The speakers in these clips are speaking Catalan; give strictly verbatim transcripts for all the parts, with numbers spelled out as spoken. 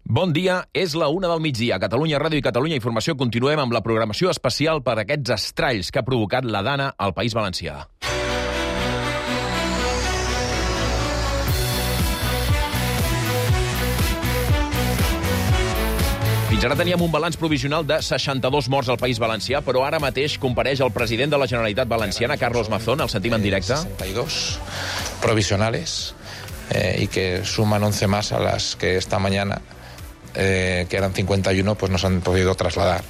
Bon dia, és la una del migdia. A Catalunya Ràdio i Catalunya Informació continuem amb la programació especial per aquests estralls que ha provocat la Dana al País Valencià. Fins ara teníem un balanç provisional de seixanta-dos morts al País Valencià, però ara mateix compareix el president de la Generalitat Valenciana, Carlos Mazón. El sentim en directe. sesenta y dos provisionales eh, y que suman once más a las que esta mañana, eh, que eran cincuenta y uno, pues nos han podido trasladar.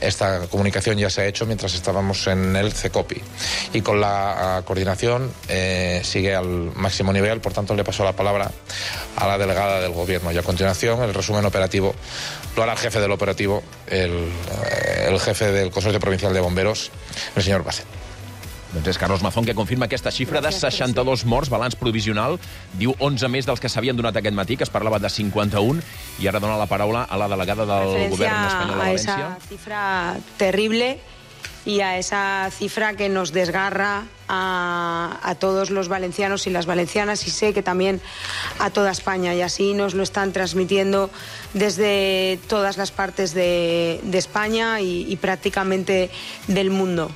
Esta comunicación ya se ha hecho mientras estábamos en el CECOPI. Y con la uh, coordinación eh, sigue al máximo nivel, por tanto le paso la palabra a la delegada del Gobierno. Y a continuación el resumen operativo lo hará el jefe del operativo, el, el jefe del Consorcio Provincial de Bomberos, el señor Basset. Doncs és Carlos Mazón que confirma aquesta xifra de seixanta-dos morts, balanç provisional. Diu onze més dels que s'havien donat aquest matí, que es parlava de cinquanta-un, i ara dona la paraula a la delegada del Govern espanyol a València. A esa cifra terrible y a esa cifra que nos desgarra a, a todos los valencianos y las valencianas, y sé que también a toda España, y así nos lo están transmitiendo desde todas las partes de, de España y, y prácticamente del mundo.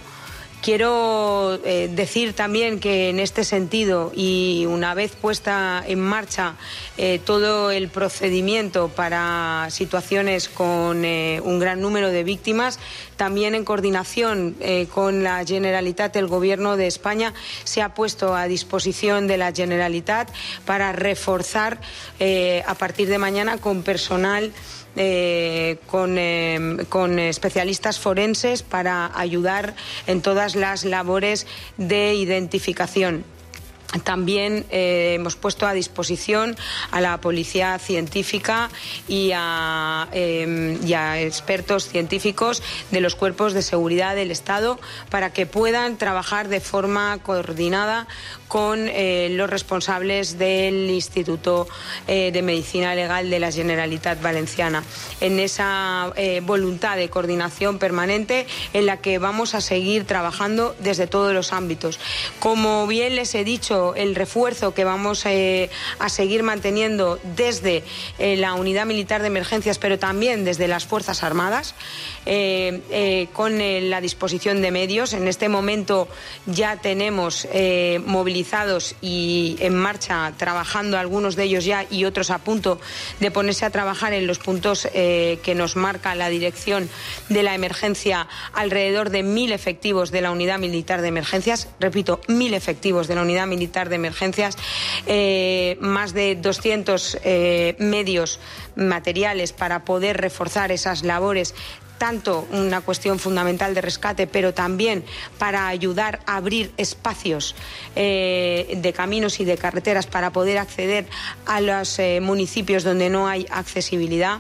Quiero eh, decir también que en este sentido, y una vez puesta en marcha eh, todo el procedimiento para situaciones con eh, un gran número de víctimas, también en coordinación eh, con la Generalitat, el Gobierno de España se ha puesto a disposición de la Generalitat para reforzar eh, a partir de mañana con personal Eh, con, eh, con especialistas forenses para ayudar en todas las labores de identificación. También eh, hemos puesto a disposición a la policía científica y a, eh, y a expertos científicos de los cuerpos de seguridad del Estado para que puedan trabajar de forma coordinada con eh, los responsables del Instituto eh, de Medicina Legal de la Generalitat Valenciana, en esa eh, voluntad de coordinación permanente en la que vamos a seguir trabajando desde todos los ámbitos. Como bien les he dicho, el refuerzo que vamos eh, a seguir manteniendo desde eh, la Unidad Militar de Emergencias, pero también desde las Fuerzas Armadas, eh, eh, con eh, la disposición de medios. En este momento ya tenemos eh, movilizados y en marcha, trabajando algunos de ellos ya y otros a punto de ponerse a trabajar en los puntos eh, que nos marca la dirección de la emergencia, alrededor de mil efectivos de la Unidad Militar de Emergencias, repito, mil efectivos de la Unidad Militar de Emergencias, eh, más de doscientos eh, medios materiales para poder reforzar esas labores, tanto una cuestión fundamental de rescate, pero también para ayudar a abrir espacios eh, de caminos y de carreteras para poder acceder a los eh, municipios donde no hay accesibilidad.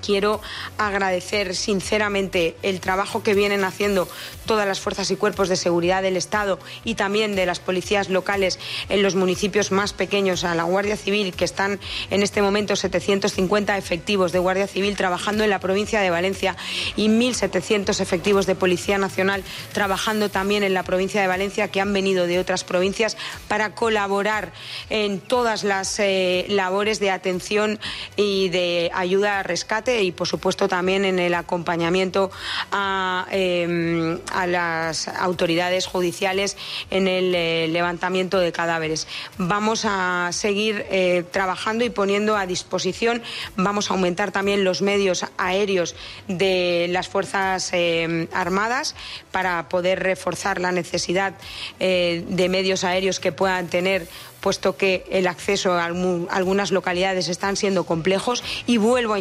Quiero agradecer sinceramente el trabajo que vienen haciendo todas las fuerzas y cuerpos de seguridad del Estado y también de las policías locales en los municipios más pequeños, a la Guardia Civil, que están en este momento setecientos cincuenta efectivos de Guardia Civil trabajando en la provincia de Valencia y mil setecientos efectivos de Policía Nacional trabajando también en la provincia de Valencia, que han venido de otras provincias para colaborar en todas las eh, labores de atención y de ayuda a rescate, y por supuesto también en el acompañamiento a, eh, a las autoridades judiciales en el eh, levantamiento de cadáveres. Vamos a seguir eh, trabajando y poniendo a disposición, vamos a aumentar también los medios aéreos de las Fuerzas eh, Armadas para poder reforzar la necesidad eh, de medios aéreos que puedan tener, puesto que el acceso a algunas localidades están siendo complejos, y vuelvo a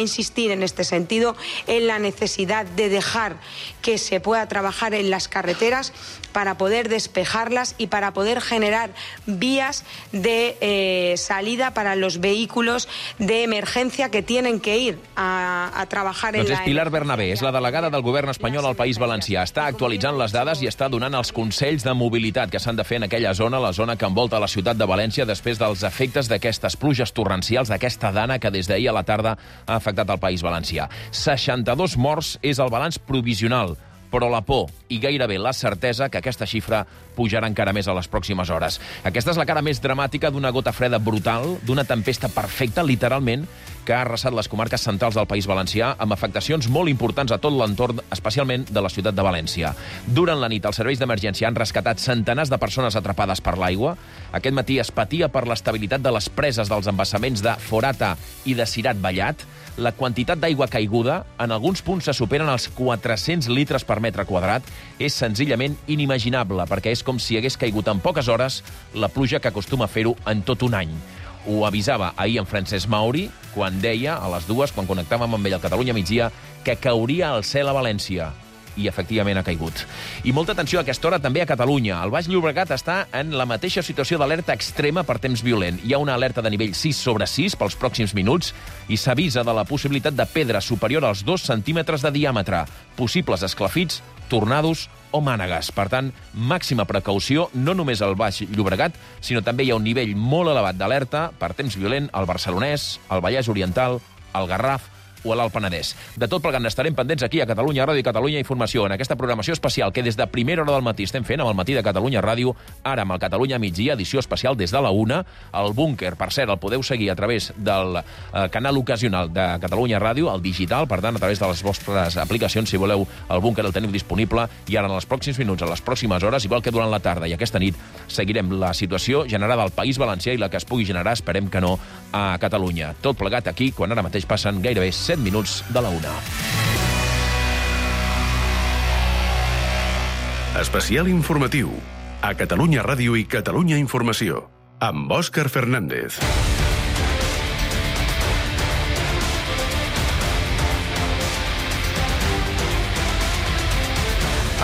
insistir en este sentido en la necesidad de dejar que se pueda trabajar en las carreteras para poder despejarlas y para poder generar vías de eh, salida para los vehículos de emergencia que tienen que ir a, a trabajar doncs en la... És Pilar Bernabé, és la delegada del Govern espanyol al País Valencià. Està actualitzant les dades i està donant els consells de mobilitat que s'han de fer en aquella zona, la zona que envolta la ciutat de València, després dels efectes d'aquestes pluges torrencials, d'aquesta dana que des d'ahir a la tarda ha afectat el País Valencià. seixanta-dos morts és el balanç provisional, però la por i gairebé la certesa que aquesta xifra pujarà encara més a les pròximes hores. Aquesta és la cara més dramàtica d'una gota freda brutal, d'una tempesta perfecta, literalment, que ha arrasat les comarques centrals del País Valencià amb afectacions molt importants a tot l'entorn, especialment de la ciutat de València. Durant la nit, els serveis d'emergència han rescatat centenars de persones atrapades per l'aigua. Aquest matí es patia per l'estabilitat de les preses dels embassaments de Forata i de Cirat Vallat. La quantitat d'aigua caiguda, en alguns punts se superen els quatre-cents litres per metre quadrat, és senzillament inimaginable, perquè és com si hagués caigut en poques hores la pluja que acostuma a fer-ho en tot un any. Ho avisava ahir en Francesc Mauri, quan deia, a les dues, quan connectàvem amb ell al Catalunya migdia, que cauria el cel a València. I, efectivament, ha caigut. I molta atenció a aquesta hora també a Catalunya. El Baix Llobregat està en la mateixa situació d'alerta extrema per temps violent. Hi ha una alerta de nivell sis sobre sis pels pròxims minuts i s'avisa de la possibilitat de pedra superior als dos centímetres de diàmetre, possibles esclafits, tornados o mànegues. Per tant, màxima precaució, no només al Baix Llobregat, sinó també hi ha un nivell molt elevat d'alerta per temps violent al Barcelonès, al Vallès Oriental, al Garraf o a l'Alt Penedès. De tot plegat n'estarem pendents aquí a Catalunya Ràdio i Catalunya Informació, en aquesta programació especial que des de primera hora del matí estem fent amb el matí de Catalunya Ràdio, ara amb el Catalunya migdia, edició especial des de la una. El búnquer, per cert, el podeu seguir a través del eh, canal ocasional de Catalunya Ràdio, el digital, per tant, a través de les vostres aplicacions, si voleu, el búnquer el teniu disponible, i ara en els pròxims minuts, a les pròximes hores, igual que durant la tarda i aquesta nit, seguirem la situació generada al País Valencià i la que es pugui generar, esperem que no, a Catalunya. Tot plegat aquí, quan ara mateix passen gairebé set minuts de la una. Especial informatiu a Catalunya Ràdio i Catalunya Informació amb Òscar Fernández.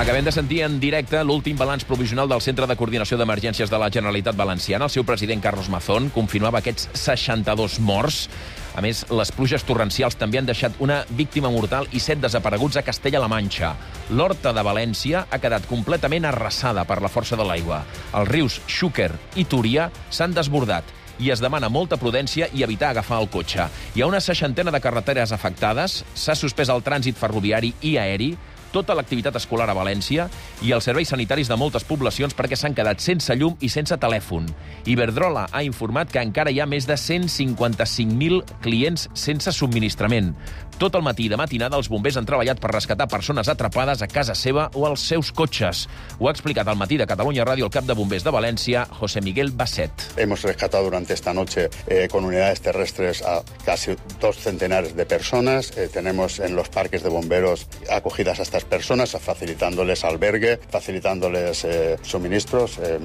Acabem de sentir en directe l'últim balanç provisional del Centre de Coordinació d'Emergències de la Generalitat Valenciana. El seu president, Carlos Mazón, confirmava aquests seixanta-dos morts. A més, les pluges torrencials també han deixat una víctima mortal i set desapareguts a Castella-La Manxa. L'Horta de València ha quedat completament arrasada per la força de l'aigua. Els rius Xúquer i Túria s'han desbordat i es demana molta prudència i evitar agafar el cotxe. Hi ha una seixantena de carreteres afectades, s'ha suspès el trànsit ferroviari i aeri, tota l'activitat escolar a València i els serveis sanitaris de moltes poblacions perquè s'han quedat sense llum i sense telèfon. Iberdrola ha informat que encara hi ha més de cent cinquanta-cinc mil clients sense subministrament. Tot el matí de matinada els bombers han treballat per rescatar persones atrapades a casa seva o als seus cotxes. Ho ha explicat al matí de Catalunya Ràdio el cap de bombers de València, José Miguel Basset. Hemos rescatado durante esta noche eh, con unidades terrestres a casi dos centenares de personas. Eh, tenemos en los parques de bomberos acogidas a estas personas, facilitándoles albergue, facilitándoles eh, suministros, eh,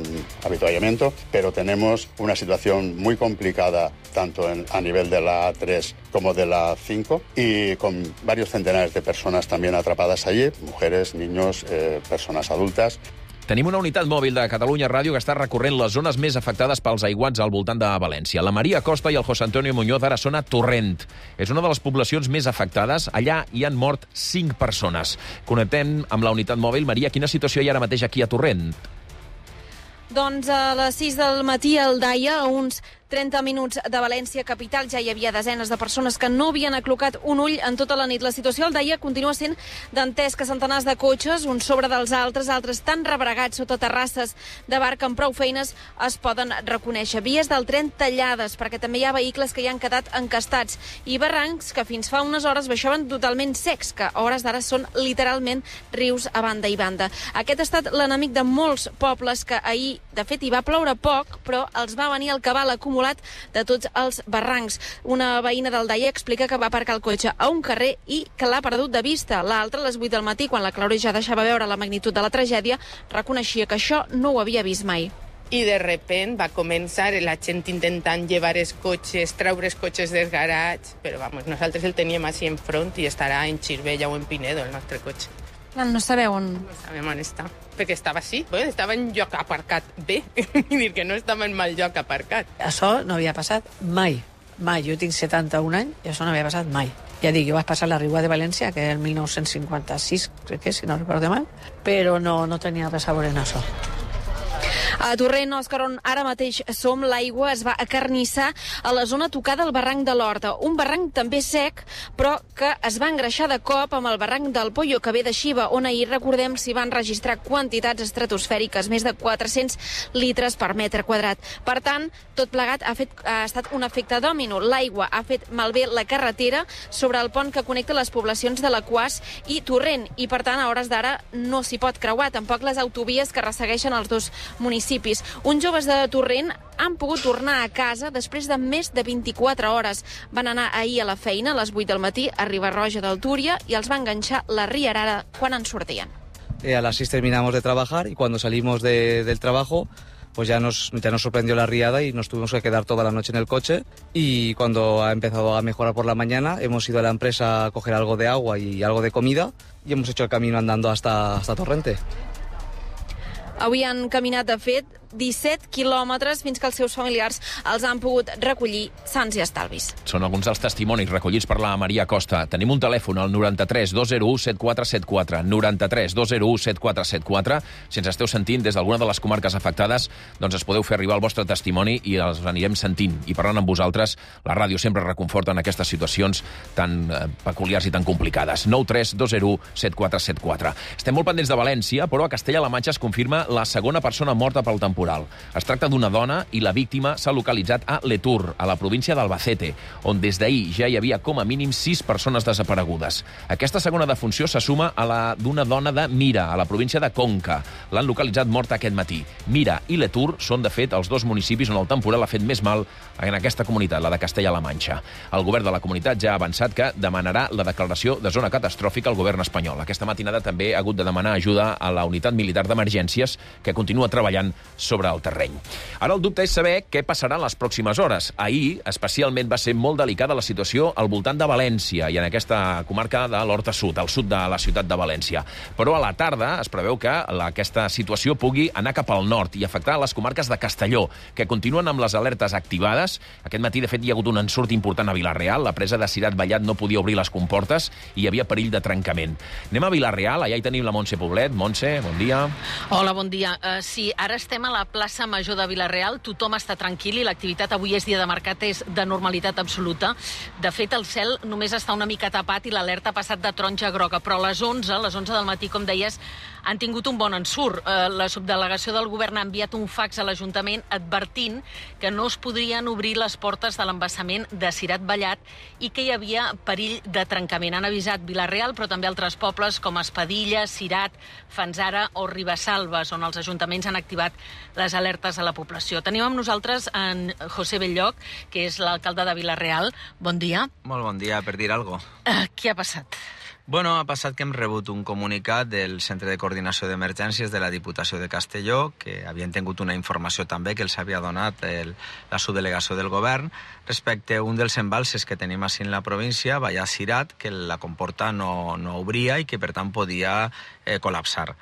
habituallamiento, pero tenemos una situación muy complicada tanto en, a nivel de la A tres como de la cinco y con varios centenares de personas también atrapadas allí, mujeres, niños, eh, personas adultas. Tenim una unitat mòbil de Catalunya Ràdio que està recorrent les zones més afectades pels aiguats al voltant de València. La Maria Costa i el José Antonio Muñoz ara són a Torrent. És una de les poblacions més afectades. Allà hi han mort cinc persones. Connectem amb la unitat mòbil. Maria, quina situació hi ha ara mateix aquí a Torrent? Doncs a les sis del matí al Daia, a uns trenta minuts de València capital, ja hi havia desenes de persones que no havien aclocat un ull en tota la nit. La situació al Daia continua sent dantès, que centenars de cotxes, uns sobre dels altres, altres tan rebregats sota terrasses de bar que amb prou feines es poden reconèixer. Vies del tren tallades, perquè també hi ha vehicles que hi han quedat encastats, i barrancs que fins fa unes hores baixaven totalment secs, que a hores d'ara són literalment rius a banda i banda. Aquest ha estat l'enemic de molts pobles que ahir, de fet, hi va ploure poc, però els va venir el cabal acumulat de tots els barrancs. Una veïna del Daia explica que va aparcar el cotxe a un carrer i que l'ha perdut de vista. L'altra, a les vuit del matí, quan la claror ja deixava veure la magnitud de la tragèdia, reconeixia que això no ho havia vist mai. I de repent va començar la gent intentant llevar els cotxes, treure els cotxes dels garats, però vamos, nosaltres el teníem així enfront i estarà en Xirvella o en Pinedo, el nostre cotxe. No sabeu on... No sabem on està, perquè estava així, estava en lloc aparcat bé, vull dir que no estava en mal lloc aparcat. Això no havia passat mai, mai. Jo tinc setanta-un anys i això no havia passat mai. Ja dic, jo vaig passar la Riua de València, que és el mil nou-cents cinquanta-sis, crec que, si no recordo mal, però no, no tenia res a veure en això. A Torrent, Òscar, on ara mateix som, l'aigua es va acarnissar a la zona tocada al barranc de l'Horta. Un barranc també sec, però que es va engreixar de cop amb el barranc del Pollo, que ve de Xiva, on ahir, recordem, s'hi van registrar quantitats estratosfèriques, més de quatre-cents litres per metre quadrat. Per tant, tot plegat ha, fet, ha estat un efecte dòmino. L'aigua ha fet malbé la carretera sobre el pont que connecta les poblacions de l'Aquàs i Torrent, i per tant, a hores d'ara no s'hi pot creuar, tampoc les autovies que ressegueixen els dos municipis. Uns joves de Torrent han pogut tornar a casa després de més de vint-i-quatre hores. Van anar ahir a la feina a les vuit del matí a Riba-roja del Túria i els va enganxar la riarada quan en sortien. Eh, a las seis terminamos de trabajar y cuando salimos de, del trabajo pues ya nos, ya nos sorprendió la riada y nos tuvimos que quedar toda la noche en el coche, y cuando ha empezado a mejorar por la mañana hemos ido a la empresa a coger algo de agua y algo de comida y hemos hecho el camino andando hasta, hasta Torrente. Avui han caminat, de fet, disset quilòmetres fins que els seus familiars els han pogut recollir sans i estalvis. Són alguns dels testimonis recollits per la Maria Costa. Tenim un telèfon, al noranta-tres dos zero u set quatre set quatre, noranta-tres dos zero u set quatre set quatre. Si ens esteu sentint des d'alguna de les comarques afectades, doncs es podeu fer arribar el vostre testimoni i els anirem sentint. I parlant amb vosaltres, la ràdio sempre reconforta en aquestes situacions tan eh, peculiars i tan complicades. nou tres dos zero u set quatre set quatre. Estem molt pendents de València, però a Castella-La Manxa es confirma la segona persona morta pel temporal. Es tracta d'una dona i la víctima s'ha localitzat a Letur, a la província d'Albacete, on des d'ahir ja hi havia com a mínim sis persones desaparegudes. Aquesta segona defunció se suma a la d'una dona de Mira, a la província de Conca. L'han localitzat morta aquest matí. Mira i Letur són, de fet, els dos municipis on el temporal ha fet més mal en aquesta comunitat, la de Castella-La Manxa. El govern de la comunitat ja ha avançat que demanarà la declaració de zona catastròfica al govern espanyol. Aquesta matinada també ha hagut de demanar ajuda a la unitat militar d'emergències, que continua treballant sobre el terreny. Ara el dubte és saber què passarà en les pròximes hores. Ahir, especialment, va ser molt delicada la situació al voltant de València i en aquesta comarca de l'Horta Sud, al sud de la ciutat de València. Però a la tarda es preveu que la, aquesta situació pugui anar cap al nord i afectar les comarques de Castelló, que continuen amb les alertes activades. Aquest matí, de fet, hi ha hagut un ensurt important a Vila-real. La presa de Cirat Vallat no podia obrir les comportes i hi havia perill de trencament. Anem a Vila-real, allà hi tenim la Montse Poblet. Montse, bon dia. Hola, bon dia. Uh, sí, ara estem a la plaça Major de Vila-real, tothom està tranquil i l'activitat avui és dia de mercat, és de normalitat absoluta. De fet, el cel només està una mica tapat i l'alerta ha passat de taronja a groga, però a les onze, a les onze del matí, com deies, han tingut un bon ensurt. La subdelegació del govern ha enviat un fax a l'Ajuntament advertint que no es podrien obrir les portes de l'embassament de Cirat Vallat i que hi havia perill de trencament. Han avisat Vila-real, però també altres pobles com Espadilla, Cirat, Fanzara o Ribesalbes, on els ajuntaments han activat les alertes a la població. Tenim amb nosaltres en José Belloc, que és l'alcalde de Vila-real. Bon dia. Molt bon dia, per dir alguna cosa. Uh, què ha passat? Bueno, ha passat que hem rebut un comunicat del Centre de Coordinació d'Emergències de la Diputació de Castelló, que havien tingut una informació també que els havia donat el, la subdelegació del govern respecte a un dels embalses que tenim així en la província, Vallat-Cirat, que la comporta no, no obria i que per tant podia eh, col·lapsar.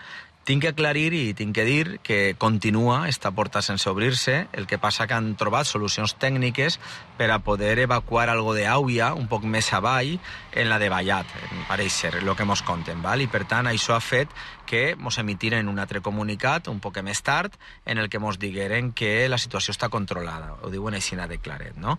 Tinc que aclarir i tinc que dir que continua esta porta sense obrir-se, el que passa que han trobat solucions tècniques per a poder evacuar algo d'aigua un poc més avall en la de Vallat, pareix ser, el que mos conten, val? I per tant això ha fet que mos emitiren un altre comunicat un poc més tard en el que mos digueren que la situació està controlada, ho diuen així de claret, no?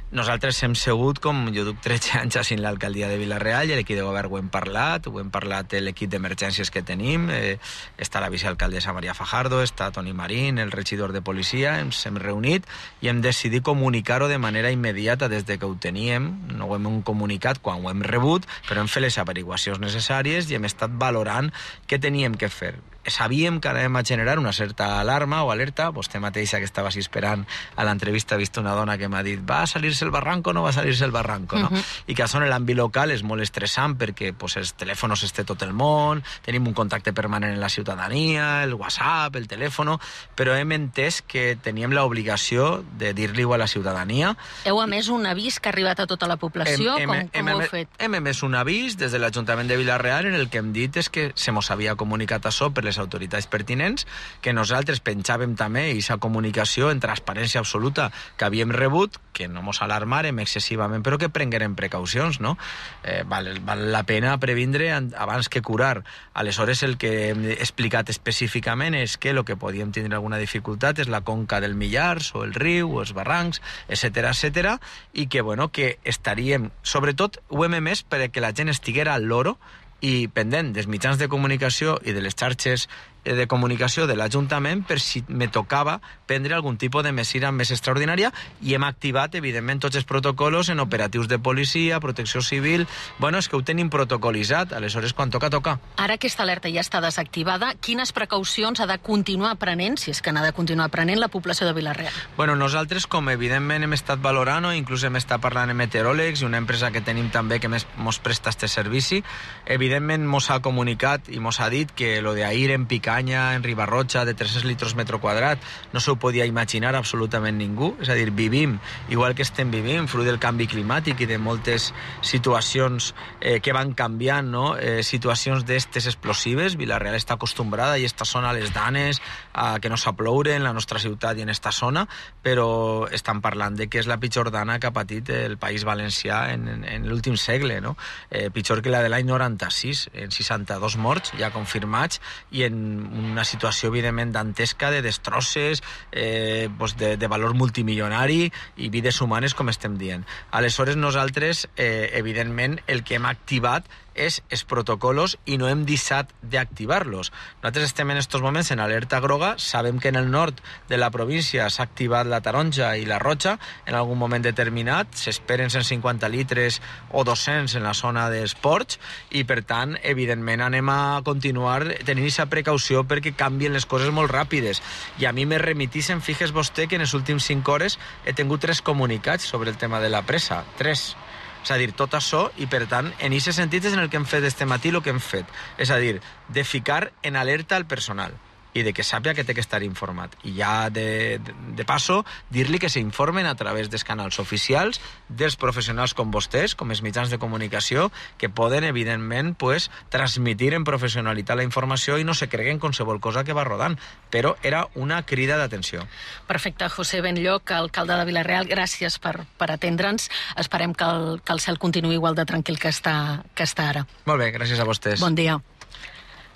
Nosaltres hem segut, com jo duc tretze anys així en l'alcaldia de Vila-real i l'equip de govern ho hem parlat, ho hem parlat l'equip d'emergències que tenim, eh, està la vicealcaldessa Maria Fajardo, està Toni Marín, el regidor de policia, ens hem reunit i hem decidit comunicar-ho de manera immediata des de que ho teníem, no ho hem comunicat quan ho hem rebut, però hem fet les averiguacions necessàries i hem estat valorant què teníem que fer. Sabíem que anàvem a generar una certa alarma o alerta, vostè mateixa que estava així esperant a l'entrevista ha vist una dona que m'ha dit va a salir-se el barranco o no va a salir-se el barranco, no? Uh-huh. I que això en l'àmbit local és molt estressant perquè pues, els telèfons es té tot el món, tenim un contacte permanent en la ciutadania, el WhatsApp, el telèfon, però hem entès que teníem l'obligació de dir-li-ho a la ciutadania. Heu emès un avís que ha arribat a tota la població? Hem, hem, com com hem, ho heu fet? Hem emès un avís des de l'Ajuntament de Vila-real en el que hem dit és que se mos havia comunicat això per les les autoritats pertinents, que nosaltres penjàvem també aquesta comunicació en transparència absoluta que havíem rebut, que no mos alarmarem excessivament, però que prenguerem precaucions, no? Eh, val, val la pena previndre abans que curar. Aleshores, el que hem explicat específicament és que el que podíem tindre alguna dificultat és la conca del Millars, o el riu, o els barrancs, etcètera, etcètera, i que, bueno, que estaríem, sobretot, ho hem emès perquè la gent estiguera al loro i pendent dels mitjans de comunicació i de les xarxes de comunicació de l'Ajuntament per si me tocava prendre algun tipus de mesura més extraordinària, i hem activat, evidentment, tots els protocols en operatius de policia, protecció civil. Bueno, és que ho tenim protocolitzat, aleshores, quan toca, toca. Ara aquesta alerta ja està desactivada. Quines precaucions ha de continuar prenent, si és que n'ha de continuar prenent, la població de Vila-real? Bueno, nosaltres, com evidentment hem estat valorant, o inclús hem estat parlant amb meteoròlegs i una empresa que tenim també que mos presta este servici, evidentment mos ha comunicat i mos ha dit que lo d'ahir en Picanya, en Ribarroja, de tres-cents litres metre quadrat, no s'ho podia imaginar absolutament ningú. És a dir, vivim igual que estem vivint, fruit del canvi climàtic i de moltes situacions eh, que van canviant, no? Eh, situacions d'estes explosives. Vila-real està acostumbrada, i esta zona, a les danes, a que no s'aploure en la nostra ciutat i en esta zona, però estan parlant de que és la pitjor dana que ha patit el País Valencià en, en, en l'últim segle, no? Eh, pitjor que la de l'any noranta-sis, en seixanta-dos morts ja confirmats, i en una situació, evidentment, dantesca de destrosses, eh, pues de, de valor multimilionari i vides humanes, com estem dient. Aleshores, nosaltres, eh, evidentment, el que hem activat és els protocols i no hem deixat d'activar-los. Nosaltres estem en aquests moments en alerta groga, sabem que en el nord de la província s'ha activat la taronja i la roja en algun moment determinat, s'esperen cent cinquanta litres o dos-cents en la zona dels ports, i per tant, evidentment, anem a continuar tenint aquesta precaució perquè canvien les coses molt ràpides. I a mi me remitissen, fixes vostè que en les últims cinc hores he tingut tres comunicats sobre el tema de la presa, tres. És a dir, tot això, i per tant, en aquest sentit és en el que hem fet este matí el que hem fet. És a dir, de ficar en alerta el personal i de que sàpiga que té que estar informat. I ja, de, de, de passo, dir-li que s'informen a través dels canals oficials, dels professionals com vostès, com els mitjans de comunicació, que poden, evidentment, pues, transmitir en professionalitat la informació i no se creguen qualsevol cosa que va rodant. Però era una crida d'atenció. Perfecte. José Benlloch, alcalde de Vila-real, gràcies per, per atendre'ns. Esperem que el, que el cel continuï igual de tranquil que està, que està ara. Molt bé, gràcies a vostès. Bon dia.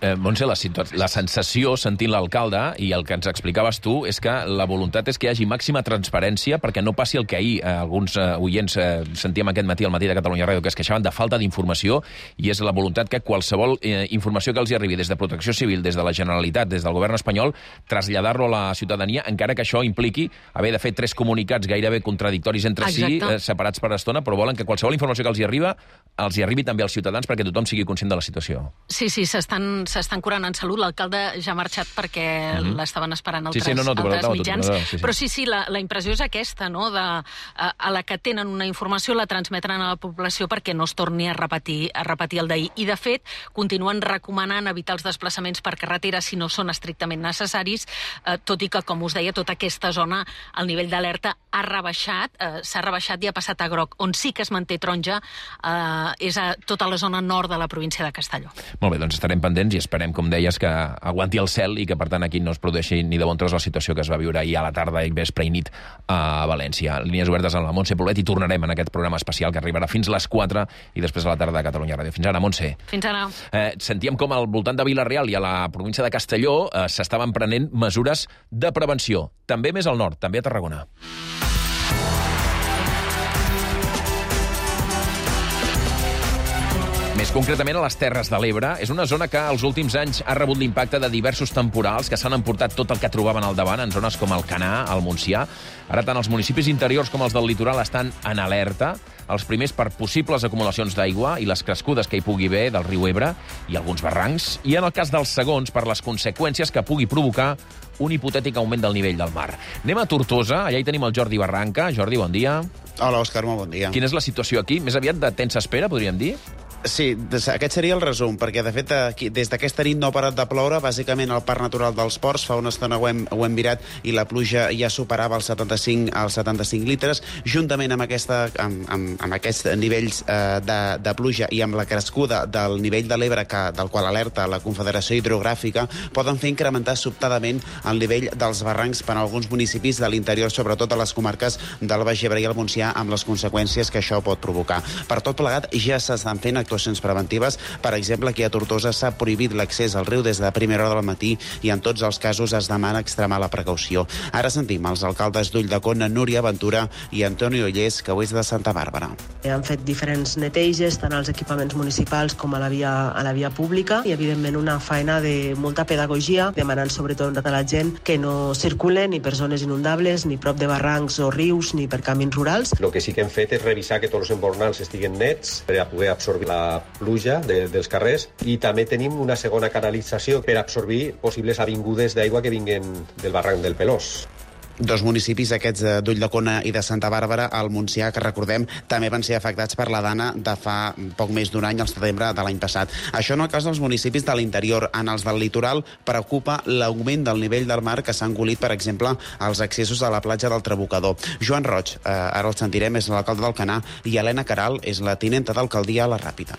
Eh, Montse, la, la sensació, sentint l'alcalde, i el que ens explicaves tu, és que la voluntat és que hi hagi màxima transparència perquè no passi el que ahir eh, alguns eh, oients eh, sentíem aquest matí al Matí de Catalunya Ràdio, que es queixaven de falta d'informació, i és la voluntat que qualsevol eh, informació que els hi arribi des de Protecció Civil, des de la Generalitat, des del govern espanyol, traslladar-lo a la ciutadania, encara que això impliqui haver de fer tres comunicats gairebé contradictoris entre Exacte. si, eh, separats per estona, però volen que qualsevol informació que els hi arriba els hi arribi també als ciutadans perquè tothom sigui conscient de la situació. Sí, sí, s'estan s'estan curant en salut. L'alcalde ja ha marxat perquè mm-hmm. l'estaven esperant altres, sí, sí, no, no, altres mitjans. No, sí, sí. Però sí, sí, la, la impressió és aquesta, no? De, a, a la que tenen una informació la transmetran a la població perquè no es torni a repetir, a repetir el d'ahir. I, de fet, continuen recomanant evitar els desplaçaments per carretera si no són estrictament necessaris, eh, tot i que, com us deia, tota aquesta zona, el nivell d'alerta ha rebaixat, eh, s'ha rebaixat i ha passat a groc. On sí que es manté taronja eh, és a tota la zona nord de la província de Castelló. Molt bé, doncs estarem pendents i esperem, com deies, que aguanti el cel i que, per tant, aquí no es produeixi ni de bon tros la situació que es va viure ahir a la tarda i vespre i nit a València. Línies obertes amb la Montse Poblet i tornarem en aquest programa especial que arribarà fins les quatre i després a la tarda de Catalunya Ràdio. Fins ara, Montse. Fins ara. Eh, sentíem com al voltant de Vila-real i a la província de Castelló eh, s'estaven prenent mesures de prevenció. També més al nord, també a Tarragona. Més concretament a les Terres de l'Ebre, és una zona que els últims anys ha rebut l'impacte de diversos temporals que s'han emportat tot el que trobaven al davant en zones com el Canà, el Montsià. Ara tant els municipis interiors com els del litoral estan en alerta, els primers per possibles acumulacions d'aigua i les crescudes que hi pugui haver del riu Ebre i alguns barrancs, i en el cas dels segons per les conseqüències que pugui provocar un hipotètic augment del nivell del mar. Anem a Tortosa, allà hi tenim el Jordi Barranca. Jordi, bon dia. Hola, Òscar, molt bon dia. Quina és la situació aquí? Més aviat de tensa espera, podríem dir? Sí, aquest seria el resum, perquè de fet aquí, des d'aquesta nit no ha parat de ploure, bàsicament al Parc Natural dels Ports, fa una estona ho hem, ho hem mirat i la pluja ja superava els setanta-cinc, els setanta-cinc litres, juntament amb, aquesta, amb, amb, amb aquests nivells eh, de, de pluja i amb la crescuda del nivell de l'Ebre, que, del qual alerta la Confederació Hidrogràfica, poden fer incrementar sobtadament el nivell dels barrancs per a alguns municipis de l'interior, sobretot a les comarques del Baix Ebre i el Montsià, amb les conseqüències que això pot provocar. Per tot plegat, ja s'estan fent actuacions preventives. Per exemple, aquí a Tortosa s'ha prohibit l'accés al riu des de primera hora del matí i en tots els casos es demana extremar la precaució. Ara sentim els alcaldes d'Ulldecona, Núria Ventura i Antoni Ollés, que ho és de Santa Bàrbara. Han fet diferents neteges, tant als equipaments municipals com a la via, a la via pública, i evidentment una feina de molta pedagogia, demanant sobretot a la gent que no circulen ni per zones inundables, ni prop de barrancs o rius, ni per camins rurals. El que sí que hem fet és revisar que tots els embornals estiguen nets per a poder absorbir la pluja de, dels carrers, i també tenim una segona canalització per absorbir possibles avingudes d'aigua que vinguen del barranc del Pelós. Dos municipis, aquests d'Ulldecona i de Santa Bàrbara, al Montsià, que recordem, també van ser afectats per la dana de fa poc més d'un any, al setembre de l'any passat. Això en el cas dels municipis de l'interior. En els del litoral preocupa l'augment del nivell del mar que s'ha engolit, per exemple, als accessos a la platja del Trabucador. Joan Roig, eh, ara el sentirem, és l'alcalde d'Alcanar, i Helena Caral és la tinenta d'alcaldia a la Ràpita.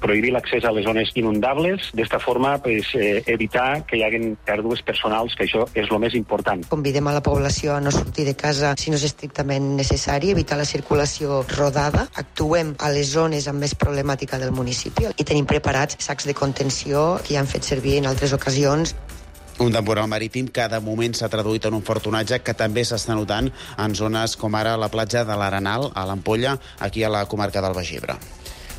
Prohibir l'accés a les zones inundables, d'esta forma pues, eh, evitar que hi hagin pèrdues personals, que això és el més important. Convidem a la població a no sortir de casa si no és estrictament necessari, evitar la circulació rodada, actuem a les zones amb més problemàtica del municipi i tenim preparats sacs de contenció que ja han fet servir en altres ocasions. Un temporal marítim que de moment s'ha traduït en un fortunatge que també s'està notant en zones com ara la platja de l'Arenal, a l'Ampolla, aquí a la comarca del Baix Ebre.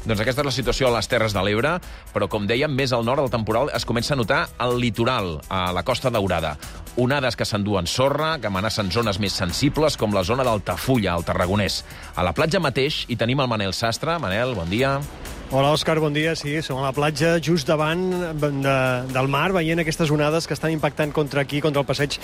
Doncs aquesta és la situació a les Terres de l'Ebre, però, com dèiem, més al nord el temporal es comença a notar al litoral, a la Costa Daurada. Onades que s'enduen sorra, que amenacen zones més sensibles, com la zona d'Altafulla, al Tarragonès. A la platja mateix hi tenim el Manel Sastre. Manel, bon dia. Hola, Òscar, bon dia. Sí, som a la platja just davant de, del mar, veient aquestes onades que estan impactant contra aquí, contra el passeig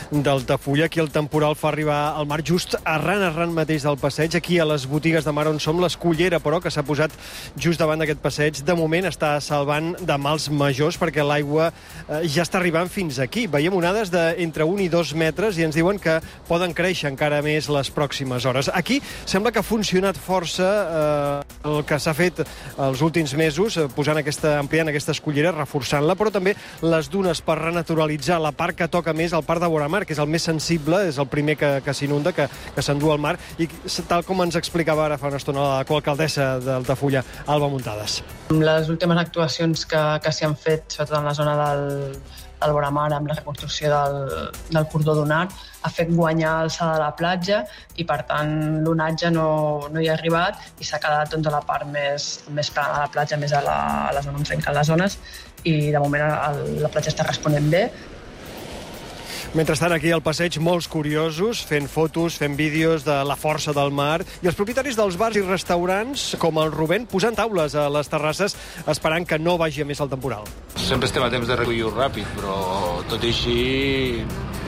d'Altafulla. Aquí el temporal fa arribar al mar just arran, arran mateix del passeig. Aquí a les botigues de mar on som, l'Escullera, però, que s'ha posat just davant d'aquest passeig, de moment està salvant de mals majors perquè l'aigua eh, ja està arribant fins aquí. Veiem onades d'entre un i dos metres i ens diuen que poden créixer encara més les pròximes hores. Aquí sembla que ha funcionat força eh, el que s'ha fet els últims mesos, posant aquesta, ampliant aquesta escullera, reforçant-la, però també les dunes per renaturalitzar la part que toca més, el parc de Voramar, que és el més sensible, és el primer que, que s'inunda, que, que s'endú al mar, i tal com ens explicava ara fa una estona la coalcaldessa d'Altafulla, Alba Muntades. Les últimes actuacions que, que s'hi han fet, sobretot en la zona del, del Voramar, amb la reconstrucció del, del cordó dunar, ha fet guanyar alçada de la platja i, per tant, l'onatge no, no hi ha arribat i s'ha quedat doncs, a la part més, més plana de la platja, més a la, a la zona on trenquen les zones, i de moment el, la platja està responent bé. Mentrestant, aquí al passeig, molts curiosos, fent fotos, fent vídeos de la força del mar, i els propietaris dels bars i restaurants, com el Rubén, posant taules a les terrasses, esperant que no vagi a més el temporal. Sempre estem a temps de recollir-ho ràpid, però tot i així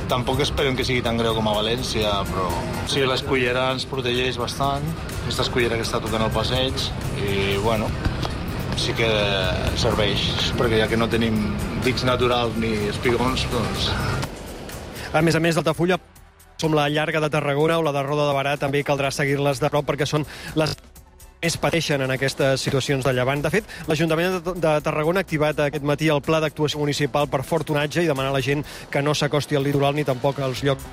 tampoc esperem que sigui tan greu com a València, però sí, l'escullera ens protegeix bastant, aquesta escullera que està tocant el passeig, i bueno, sí que serveix, perquè ja que no tenim dics naturals ni espigons, doncs... A més a més, d'Altafulla, som la llarga de Tarragona o la de Roda de Barà, també caldrà seguir-les de prop perquè són les més pateixen en aquestes situacions de llevant. De fet, l'Ajuntament de Tarragona ha activat aquest matí el pla d'actuació municipal per fort onatge i demana a la gent que no s'acosti al litoral ni tampoc als llocs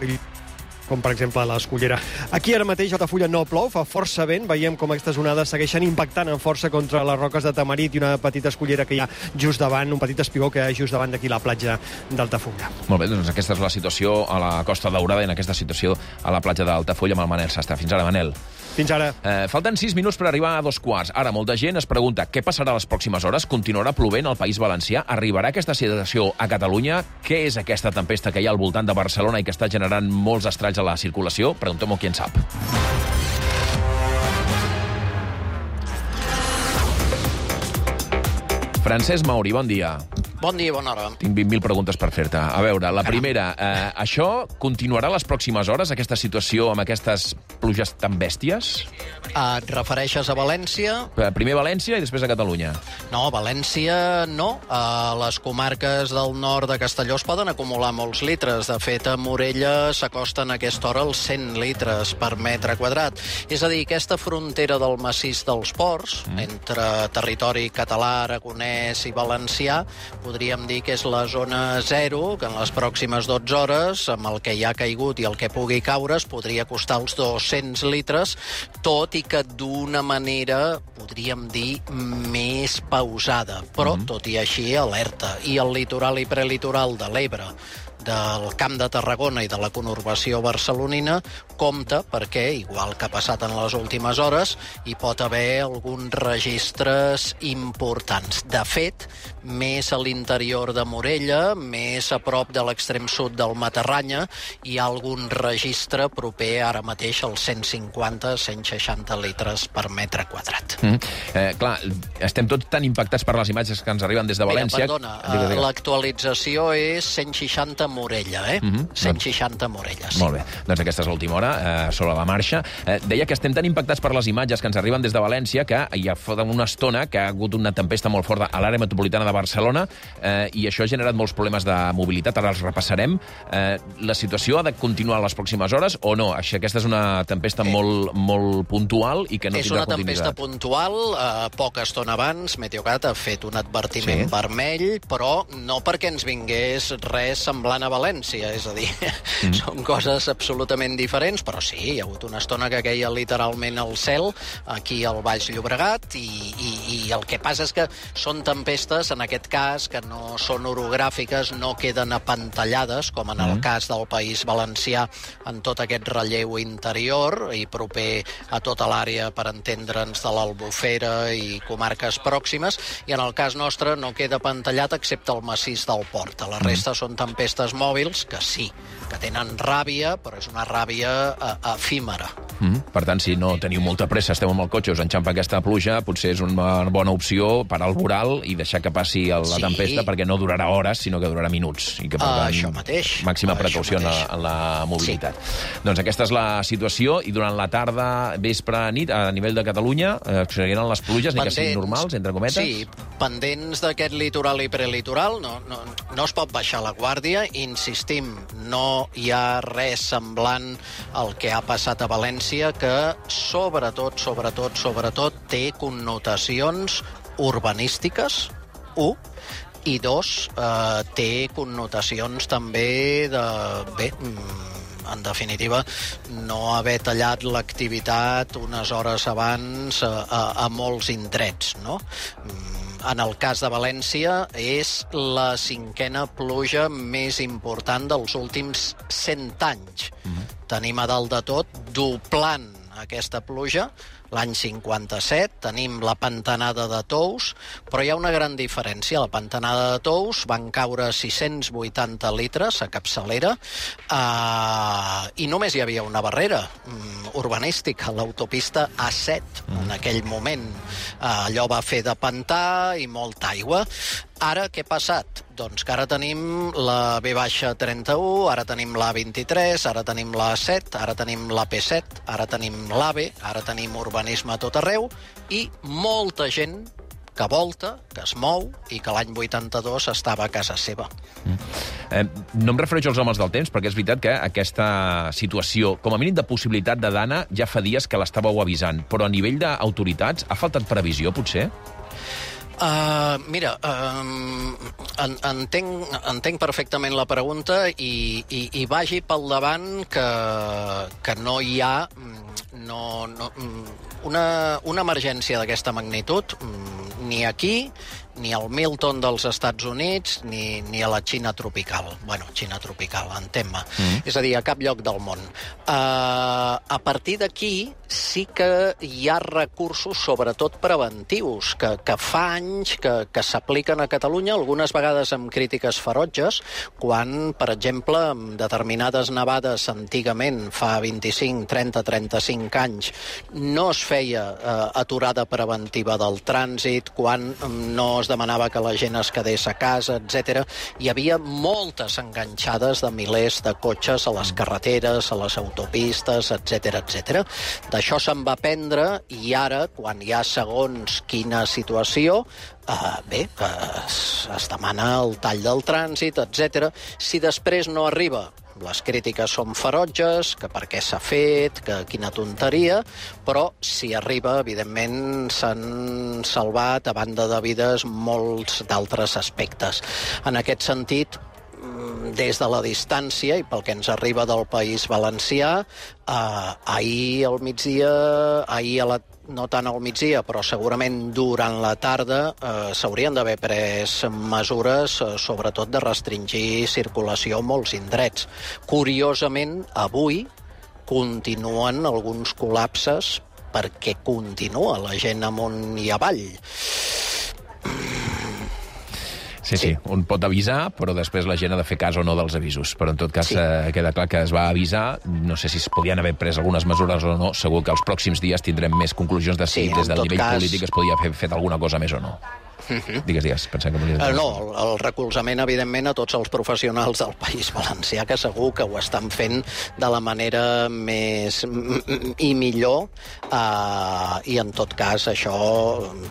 com per exemple a l'Escullera. Aquí ara mateix a Altafulla no plou, fa força vent, veiem com aquestes onades segueixen impactant amb força contra les roques de Tamarit i una petita escullera que hi ha just davant, un petit espigó que hi ha just davant d'aquí la platja d'Altafulla. Molt bé, doncs aquesta és la situació a la Costa Daurada i en aquesta situació a la platja d'Altafulla amb el Manel Sastre. Fins ara, Manel. Fins ara. Eh, falten sis minuts per arribar a dos quarts. Ara, molta gent es pregunta què passarà les pròximes hores. Continuarà plovent al País Valencià? Arribarà aquesta situació a Catalunya? Què és aquesta tempesta que hi ha al voltant de Barcelona i que està generant molts estralls a la circulació? Preguntem-ho qui en sap. Francesc Mauri, bon dia. Bon dia, bona hora. Tinc vint mil preguntes per fer-te. A veure, la primera, eh, això continuarà les pròximes hores, aquesta situació amb aquestes pluges tan bèsties? Et refereixes a València? Primer València i després a Catalunya. No, València no. A les comarques del nord de Castelló es poden acumular molts litres. De fet, a Morella s'acosten a aquesta hora els cent litres per metre quadrat. És a dir, aquesta frontera del massís dels ports, mm. entre territori català, aragonès i valencià, podríem dir que és la zona zero, que en les pròximes dotze hores, amb el que hi ha caigut i el que pugui caure, es podria costar els dos-cents litres, tot i que d'una manera, podríem dir, més pausada. Però, mm-hmm. tot i així, alerta. I el litoral i prelitoral de l'Ebre, del Camp de Tarragona i de la conurbació barcelonina, compta perquè, igual que ha passat en les últimes hores, hi pot haver alguns registres importants. De fet, més a l'interior de Morella, més a prop de l'extrem sud del Matarranya, hi ha algun registre proper ara mateix als cent cinquanta a cent seixanta litres per metre quadrat. Mm. Eh, clar, estem tots tan impactats per les imatges que ens arriben des de València... Mira, perdona, digue, digue. l'actualització és cent seixanta Morella, eh? Mm-hmm. cent seixanta Morella, sí. Molt bé. Doncs aquesta és l'última hora, eh, sobre la marxa. Eh, deia que estem tan impactats per les imatges que ens arriben des de València que ja fa una estona que ha hagut una tempesta molt forta a l'àrea metropolitana de Barcelona eh, i això ha generat molts problemes de mobilitat. Ara els repassarem. Eh, la situació ha de continuar les pròximes hores o no? Així, aquesta és una tempesta eh. molt, molt puntual i que no és tindrà una continuïtat. tempesta puntual. Eh, poca estona abans, Meteocat ha fet un advertiment sí. vermell, però no perquè ens vingués res semblant a València, és a dir, mm. són coses absolutament diferents, però sí, hi ha hagut una estona que queia literalment al cel, aquí al Baix Llobregat, i, i, i el que passa és que són tempestes, en aquest cas, que no són orogràfiques, no queden apantallades, com en el mm. cas del País Valencià, en tot aquest relleu interior, i proper a tota l'àrea, per entendre'ns, de l'Albufera i comarques pròximes, i en el cas nostre no queda apantallat excepte el massís del Port. A la resta mm. són tempestes mòbils que sí, que tenen ràbia, però és una ràbia uh, efímera. Mm. Per tant, si no teniu molta pressa, esteu amb el cotxe, us enxampa aquesta pluja, potser és una bona opció parar el voral i deixar que passi la sí. tempesta, perquè no durarà hores, sinó que durarà minuts. I que, per tant, uh, això mateix. Màxima uh, precaució en la, en la mobilitat. Sí. Doncs aquesta és la situació, i durant la tarda, vespre, nit, a nivell de Catalunya, eh, seguiran les pluges, ni que siguin normals, entre cometes? Sí, pendents d'aquest litoral i prelitoral, no, no, no es pot baixar la guàrdia, insistim, no hi ha res semblant al que ha passat a València, que sobretot, sobretot, sobretot té connotacions urbanístiques, u, i dos, eh, té connotacions també de... Bé, en definitiva, no haver tallat l'activitat unes hores abans a, a, a molts indrets, no? En el cas de València, és la cinquena pluja més important dels últims cent anys. Mm-hmm. Tenim a dalt de tot, doblant aquesta pluja, l'any cinquanta-set, tenim la pantanada de Tous, però hi ha una gran diferència. A la pantanada de Tous van caure sis-cents vuitanta litres a capçalera eh, i només hi havia una barrera um, urbanística, l'autopista A set, en aquell moment. Eh, allò va fer de pantà i molta aigua. Ara, què ha passat? Doncs que ara tenim la B trenta-u, ara tenim la A vint-i-tres, ara tenim la A set, ara tenim la P set, ara tenim l'AVE, ara tenim urbanisme a tot arreu, i molta gent que volta, que es mou, i que l'any vuitanta-dos estava a casa seva. Mm. Eh, no em refereixo als homes del temps, perquè és veritat que aquesta situació, com a mínim de possibilitat de dana, ja fa dies que l'estàveu avisant, però a nivell d'autoritats ha faltat previsió, potser? Uh, mira, uh, en, entenc, entenc perfectament la pregunta i, i, i vagi pel davant que, que no hi ha no, no, una, una emergència d'aquesta magnitud ni aquí, ni al Milton dels Estats Units, ni, ni a la Xina tropical. Bueno, Xina tropical, entén-me. Mm. És a dir, a cap lloc del món. Uh, a partir d'aquí sí que hi ha recursos, sobretot preventius, que, que fa anys que, que s'apliquen a Catalunya, algunes vegades amb crítiques ferotges, quan, per exemple, amb determinades nevades antigament, fa vint-i-cinc, trenta, trenta-cinc anys, no es feia uh, aturada preventiva del trànsit, quan no es demanava que la gent es quedés a casa, etcètera. Hi havia moltes enganxades de milers de cotxes a les carreteres, a les autopistes, etcètera, etcètera. D'això se'n va aprendre i ara, quan hi ha segons quina situació, Uh, bé, que es, es demana el tall del trànsit, etcètera. Si després no arriba, les crítiques són ferotges, que per què s'ha fet, que quina tonteria, però si arriba, evidentment, s'han salvat, a banda de vides, molts d'altres aspectes. En aquest sentit, des de la distància i pel que ens arriba del País Valencià, eh, ahir al migdia, ahir a la no tant al migdia, però segurament durant la tarda eh, s'haurien d'haver pres mesures, eh, sobretot de restringir circulació a molts indrets. Curiosament, avui continuen alguns col·lapses perquè continua la gent amunt i avall. Sí, sí, un pot avisar, però després la gent ha de fer cas o no dels avisos. Però en tot cas sí. eh, queda clar que es va avisar, no sé si es podien haver pres algunes mesures o no, segur que els pròxims dies tindrem més conclusions de si sí, des del nivell cas... polític es podia haver fet alguna cosa més o no. Uh-huh. Digues, digues, pensem que volies dir. No, el, el recolzament, evidentment, a tots els professionals del País Valencià, que segur que ho estan fent de la manera més i millor, uh, i en tot cas això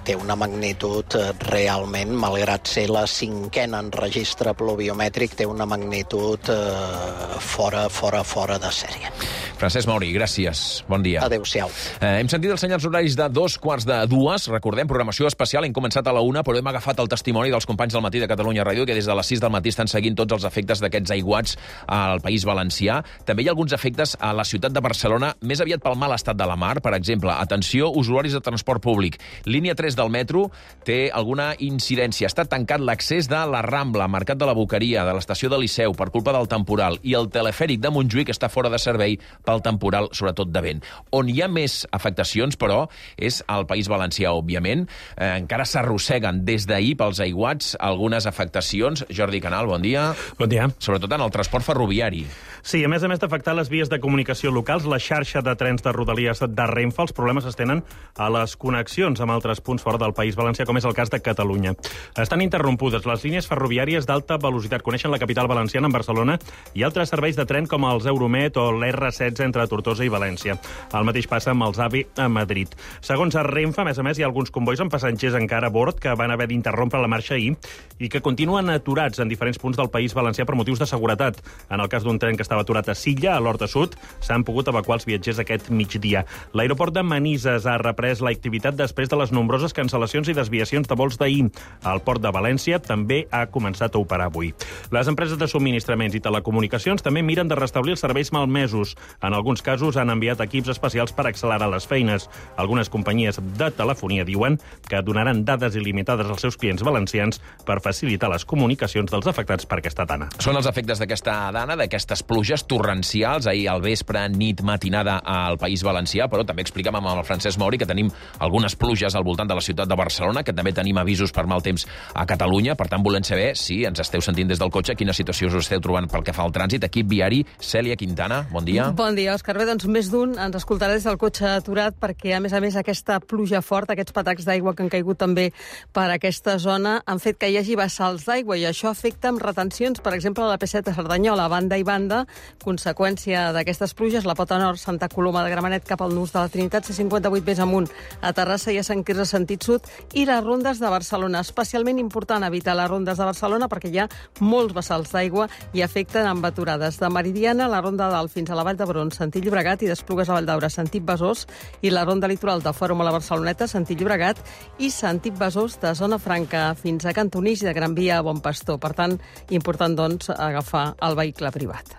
té una magnitud realment, malgrat ser la cinquena en registre pluviomètric, té una magnitud uh, fora, fora, fora de sèrie. Francesc Mauri, gràcies. Bon dia. Adéu-siau. Eh, hem sentit els senyals horaris de dos quarts de dues. Recordem, programació especial. Hem començat a la una, però hem agafat el testimoni dels companys del Matí de Catalunya Ràdio, que des de les sis del matí estan seguint tots els efectes d'aquests aiguats al País Valencià. També hi ha alguns efectes a la ciutat de Barcelona, més aviat pel mal estat de la mar. Per exemple, atenció, usuaris de transport públic. Línia tres del metro té alguna incidència. Està tancat l'accés de la Rambla, Mercat de la Boqueria, de l'estació de Liceu, per culpa del temporal, i el telefèric de Montjuïc està fora de servei pel temporal, sobretot de vent. On hi ha més afectacions, però, és al País Valencià, òbviament. Eh, encara s'arrosseguen des d'ahir pels aiguats algunes afectacions. Jordi Canal, bon dia. Bon dia. Sobretot en el transport ferroviari. Sí, a més a més d'afectar les vies de comunicació locals, la xarxa de trens de Rodalies de Renfe, els problemes es tenen a les connexions amb altres punts fora del País Valencià, com és el cas de Catalunya. Estan interrompudes les línies ferroviàries d'alta velocitat. Coneixen la capital valenciana, en Barcelona, i altres serveis de tren com els Euromed o l'R setze entre Tortosa i València. El mateix passa amb els A V I a Madrid. Segons a Renfe, a més a més, hi ha alguns convois amb passatgers encara a bord que van haver d'interrompre la marxa ahir i que continuen aturats en diferents punts del País Valencià per motius de seguretat. En el cas d'un tren que estava aturat a Silla, a l'Horta Sud, s'han pogut evacuar els viatgers aquest migdia. L'aeroport de Manises ha reprès l'activitat després de les nombroses cancel·lacions i desviacions de vols d'ahir. El port de València també ha començat a operar avui. Les empreses de subministraments i telecomunicacions també miren de restablir els serveis malmesos. En alguns casos han enviat equips especials per accelerar les feines. Algunes companyies de telefonia diuen que donaran dades il·limitades als seus clients valencians per facilitar les comunicacions dels afectats per aquesta dana. Són els efectes d'aquesta dana, d'aquestes pluges torrencials, ahir al vespre, nit, matinada al País Valencià, però també explicàvem amb el Francesc Mauri que tenim algunes pluges al voltant de la ciutat de Barcelona, que també tenim avisos per mal temps a Catalunya. Per tant, volem saber si ens esteu sentint des del cotxe, quina situació us esteu trobant pel que fa al trànsit. Equip viari, Cèlia Quintana, bon dia. Bon dia, Òscar. Bé, doncs més d'un ens escoltarà des del cotxe aturat perquè, a més a més, aquesta pluja forta, aquests patacs d'aigua que han caigut també per aquesta zona, han fet que hi hagi vessals d'aigua i això afecta amb retencions, per exemple, a la P set a Cerdanyola, banda i banda, conseqüència d'aquestes pluges, la pota nord, Santa Coloma de Gramenet cap al nus de la Trinitat, C cinquanta-vuit més amunt, a Terrassa i a Sant Quirze sentit sud, i les rondes de Barcelona. Especialment important evitar les rondes de Barcelona perquè hi ha molts vessals d'aigua i afecten amb aturades de Meridiana, la ronda dalt fins a la Vall d'Hebron, sentit Llobregat, i d'Esplugues a Valldaura, sentit Besòs, i la ronda litoral de Fòrum a la Barceloneta, sentit Llobregat, i sentit Besòs de Zona Franca fins a Cantonís i de Gran Via a Bon Pastor. Per tant, important, doncs, agafar el vehicle privat.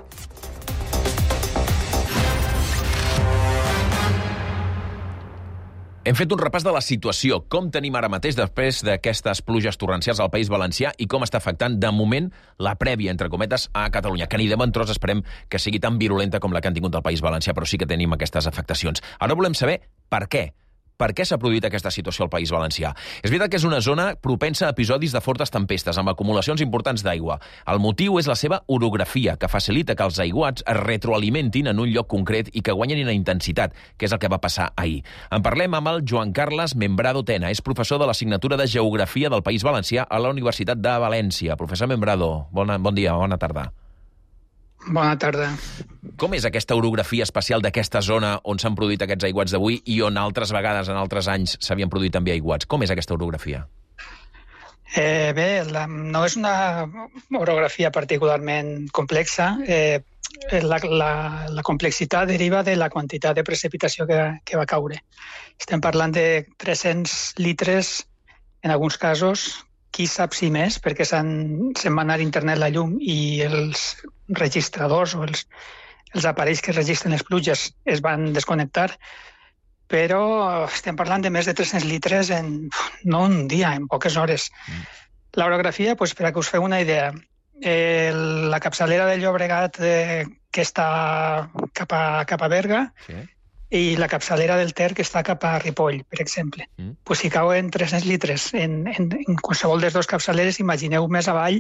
Hem fet un repàs de la situació, com tenim ara mateix després d'aquestes pluges torrencials al País Valencià i com està afectant, de moment, la prèvia, entre cometes, a Catalunya, que ni de bon tros esperem que sigui tan virulenta com la que han tingut al País Valencià, però sí que tenim aquestes afectacions. Ara volem saber per què. per què s'ha produït aquesta situació al País Valencià. És veritat que és una zona propensa a episodis de fortes tempestes, amb acumulacions importants d'aigua. El motiu és la seva orografia, que facilita que els aiguats es retroalimentin en un lloc concret i que guanyin en intensitat, que és el que va passar ahir. En parlem amb el Joan Carles Membrado Tena, és professor de l'assignatura de Geografia del País Valencià a la Universitat de València. Professor Membrado, bona, bon dia, bona tarda. Bona tarda. Com és aquesta orografia especial d'aquesta zona on s'han produït aquests aiguats d'avui i on altres vegades, en altres anys, s'havien produït també aiguats? Com és aquesta orografia? Eh, bé, la, no és una orografia particularment complexa. Eh, la, la, la complexitat deriva de la quantitat de precipitació que, que va caure. Estem parlant de tres-cents litres, en alguns casos, qui sap si més, perquè se'n se va anar a internet la llum i els registradors o els, els aparells que registren les pluges es van desconnectar, però estem parlant de més de tres-cents litres en no un dia, en poques hores. Mm. L'orografia, doncs, per a que us feu una idea, eh, la capçalera del Llobregat eh, que està cap a, cap a Berga, sí, i la capçalera del Ter que està cap a Ripoll, per exemple. Mm. Pues si cauen tres-cents litres en, en, en qualsevol dels dos capçaleres, imagineu més avall,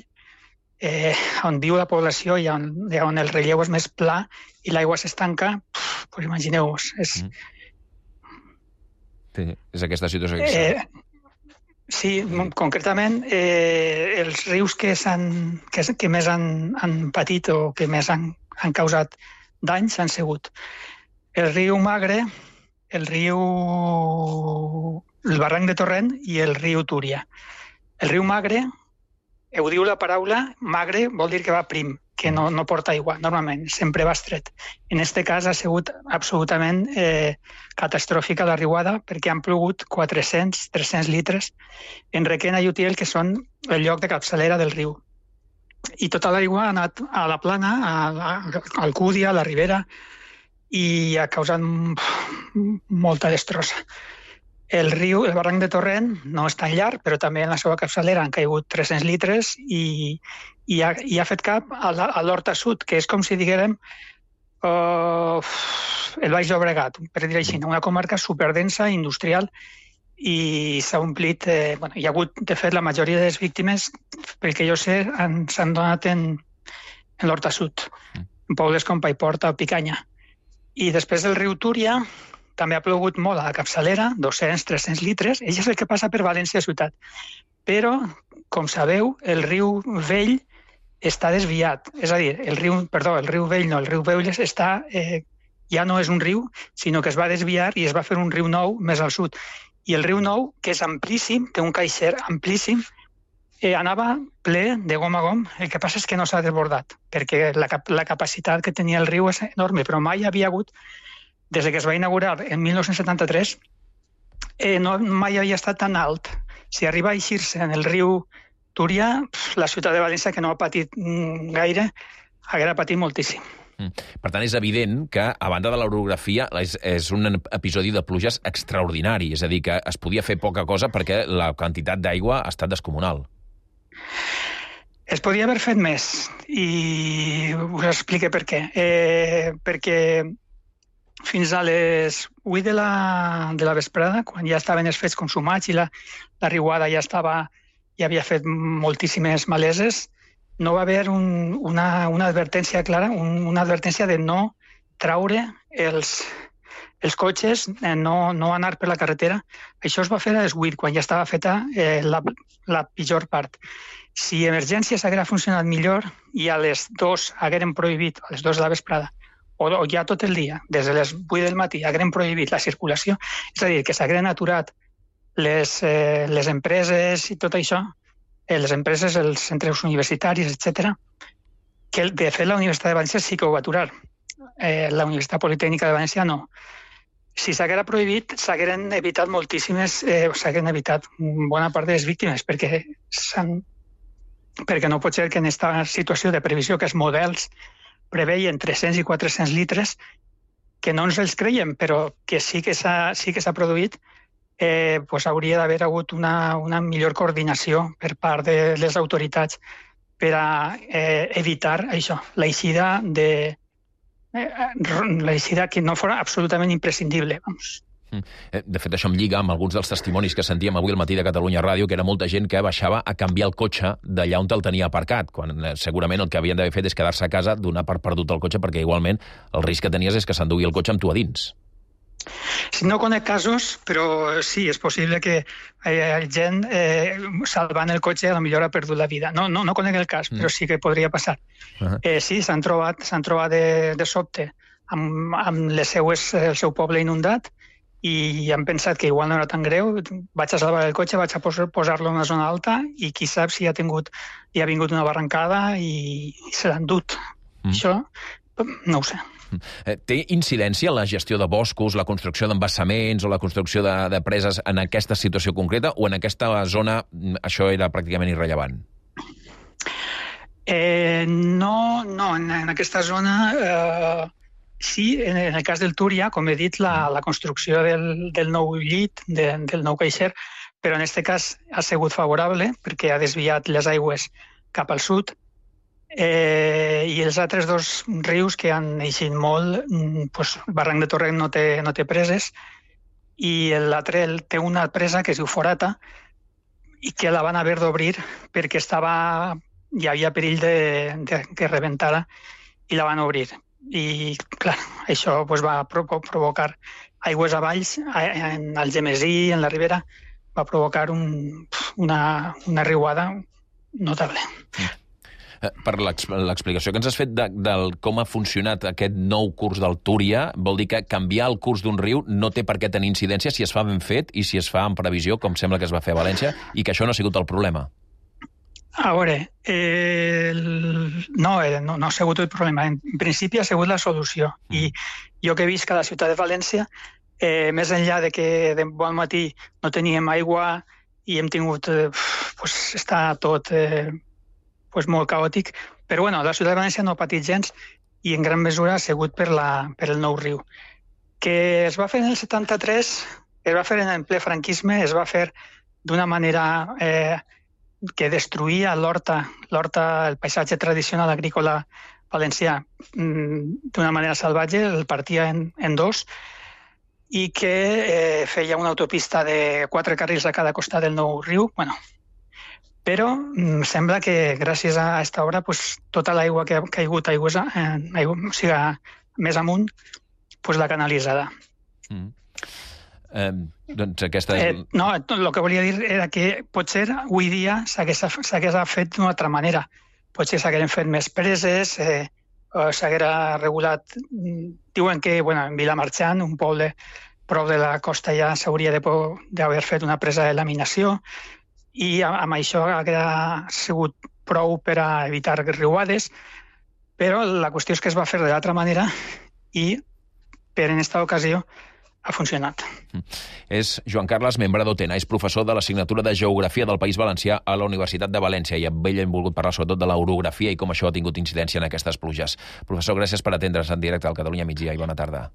eh, on viu la població i on, on el relleu és més pla i l'aigua s'estanca, pues imagineu-vos. És... Mm. Sí, és aquesta situació que eh, sí, mm. concretament, eh, els rius que, que, que més han, han patit o que més han, han causat danys han sigut el riu Magre, el riu... el barranc de Torrent i el riu Túria. El riu Magre, ho diu la paraula, magre vol dir que va prim, que no, no porta aigua, normalment, sempre va estret. En aquest cas ha sigut absolutament eh, catastròfica la riuada perquè han plogut quatre-cents a tres-cents litres en Requena i Utiel, que són el lloc de capçalera del riu. I tota l'aigua ha anat a la plana, a, a, a Alcúdia, a la Ribera, i ha causat molta destrossa. El riu, el barranc de Torrent, no és tan llarg, però també en la seva capçalera han caigut tres-cents litres i, i, ha, i ha fet cap a l'Horta Sud, que és com si diguérem uh, el Baix Llobregat, per dir així, una comarca superdensa, industrial, i s'ha omplit... Eh, bueno, hi ha hagut, de fet, la majoria de les víctimes, pel que jo sé, s'han donat en, en l'Horta Sud, en pobles com Paiporta o Picanya. I després del riu Túria també ha plogut molt a la capçalera, dos-cents a tres-cents litres. Ell és el que passa per València ciutat. Però, com sabeu, el riu Vell està desviat. És a dir, el riu, perdó, el riu Vell no, el riu Vell està, eh, ja no és un riu, sinó que es va desviar i es va fer un riu nou més al sud. I el riu Nou, que és amplíssim, té un caixer amplíssim, eh, anava ple de gom a gom. El que passa és que no s'ha desbordat, perquè la, la capacitat que tenia el riu és enorme, però mai havia hagut, des que es va inaugurar en mil nou-cents setanta-tres, eh, no, mai havia estat tan alt. Si arriba a eixir-se en el riu Túria, la ciutat de València, que no ha patit gaire, haguera patit moltíssim. Per tant, és evident que, a banda de l'orografia, és, és un episodi de pluges extraordinari, és a dir, que es podia fer poca cosa perquè la quantitat d'aigua ha estat descomunal. Es podia haver fet més, i us explico per què. Eh, perquè fins a les vuit de la, de la vesprada, quan ja estaven els fets consumats i la, la riuada ja estava, ja havia fet moltíssimes maleses, no va haver un, una, una advertència clara, un, una advertència de no traure els, els cotxes, eh, no, no anar per la carretera. Això es va fer a les vuit, quan ja estava feta eh, la, la pitjor part. Si emergències haguera funcionat millor i a les dues hagueren prohibit, a les dues de la vesprada, o, o ja tot el dia, des de les vuit del matí, hagueren prohibit la circulació, és a dir, que s'hagueren aturat les, eh, les empreses i tot això, eh, les empreses, els centres universitaris, etcètera, que de fet la Universitat de València sí que ho va aturar. Eh, la Universitat Politècnica de València no. Si s'haguera prohibit, s'hagueren evitat moltíssimes, eh, s'hagueren evitat bona part de les víctimes, perquè s'han perquè no pot ser que en aquesta situació de previsió que els models preveien tres-cents i quatre-cents litres, que no ens els creiem, però que sí que s'ha sí que s'ha produït, eh, pues hauria d'haver hagut una, una millor coordinació per part de les autoritats per a eh, evitar això, l'eixida de eh, l'eixida que no fora absolutament imprescindible. Vamos. De fet, això em lliga amb alguns dels testimonis que sentíem avui al matí de Catalunya Ràdio, que era molta gent que baixava a canviar el cotxe d'allà on el tenia aparcat, quan segurament el que havien d'haver fet és quedar-se a casa, donar per perdut el cotxe, perquè igualment el risc que tenies és que s'endugui el cotxe amb tu a dins. No conec casos, però sí, és possible que hi hagi gent eh, salvant el cotxe potser ha perdut la vida. No, no, no conec el cas, mm. però sí que podria passar. Uh-huh. eh, sí, s'han trobat, s'han trobat de, de sobte amb, amb les seues, el seu poble inundat i han pensat que igual no era tan greu, vaig a salvar el cotxe, vaig a posar-lo en una zona alta i qui sap si ha tingut, hi ha vingut una barrancada i, i se l'han dut. Mm. Això no ho sé. Té incidència la gestió de boscos, la construcció d'embassaments o la construcció de, de preses en aquesta situació concreta o en aquesta zona això era pràcticament irrellevant? Eh, no, no, en, en aquesta zona eh, sí, en, en el cas del Túria, com he dit, la, la construcció del, del nou llit, de, del nou caixer, però en aquest cas ha sigut favorable perquè ha desviat les aigües cap al sud. Eh, i els altres dos rius que han eixit molt, doncs, el barranc de Torrent no té, no té preses i l'altre té una presa que es diu Forata i que la van haver d'obrir perquè estava, hi havia perill de, de que rebentara i la van obrir. I clar, això doncs, va provocar aigües avalls en el Gemesí, en la Ribera, va provocar un, una, una riuada notable. Per l'explicació que ens has fet de, del com ha funcionat aquest nou curs del Túria, vol dir que canviar el curs d'un riu no té per què tenir incidència si es fa ben fet i si es fa en previsió, com sembla que es va fer a València, i que això no ha sigut el problema. A veure, eh, no, eh, no, no ha sigut el problema. En principi ha sigut la solució. Mm. I jo que visc a la ciutat de València, eh, més enllà de que de bon matí no teníem aigua i hem tingut... Eh, pues, està tot... Eh, pues molt caòtic, però bueno, la ciutat de València no ha patit gens i en gran mesura ha sigut per, la, per el nou riu. Que es va fer en el setanta-tres, es va fer en el ple franquisme, es va fer d'una manera eh, que destruïa l'horta, l'horta, el paisatge tradicional agrícola valencià d'una manera salvatge, el partia en, en dos i que eh, feia una autopista de quatre carrils a cada costat del nou riu, bueno, però mm, sembla que gràcies a aquesta obra pues, tota l'aigua que ha caigut aigües, eh, aigua, o sigui, més amunt pues, l'ha canalitzada. Mm. Eh, doncs aquesta... És... Eh, no, el que volia dir era que potser avui dia s'hagués fet d'una altra manera. Potser s'hagueren fet més preses, eh, s'haguera regulat... Diuen que bueno, en Vilamarxant, un poble prop de la costa, ja s'hauria d'haver fet una presa de laminació, i amb això ha sigut prou per a evitar riuades, però la qüestió és que es va fer de l'altra manera i per en aquesta ocasió ha funcionat. És Joan Carles, membre d'Otena, és professor de l'assignatura de Geografia del País Valencià a la Universitat de València i amb ell hem volgut parlar sobretot de l'orografia i com això ha tingut incidència en aquestes pluges. Professor, gràcies per atendre's en directe al Catalunya Migdia i bona tarda.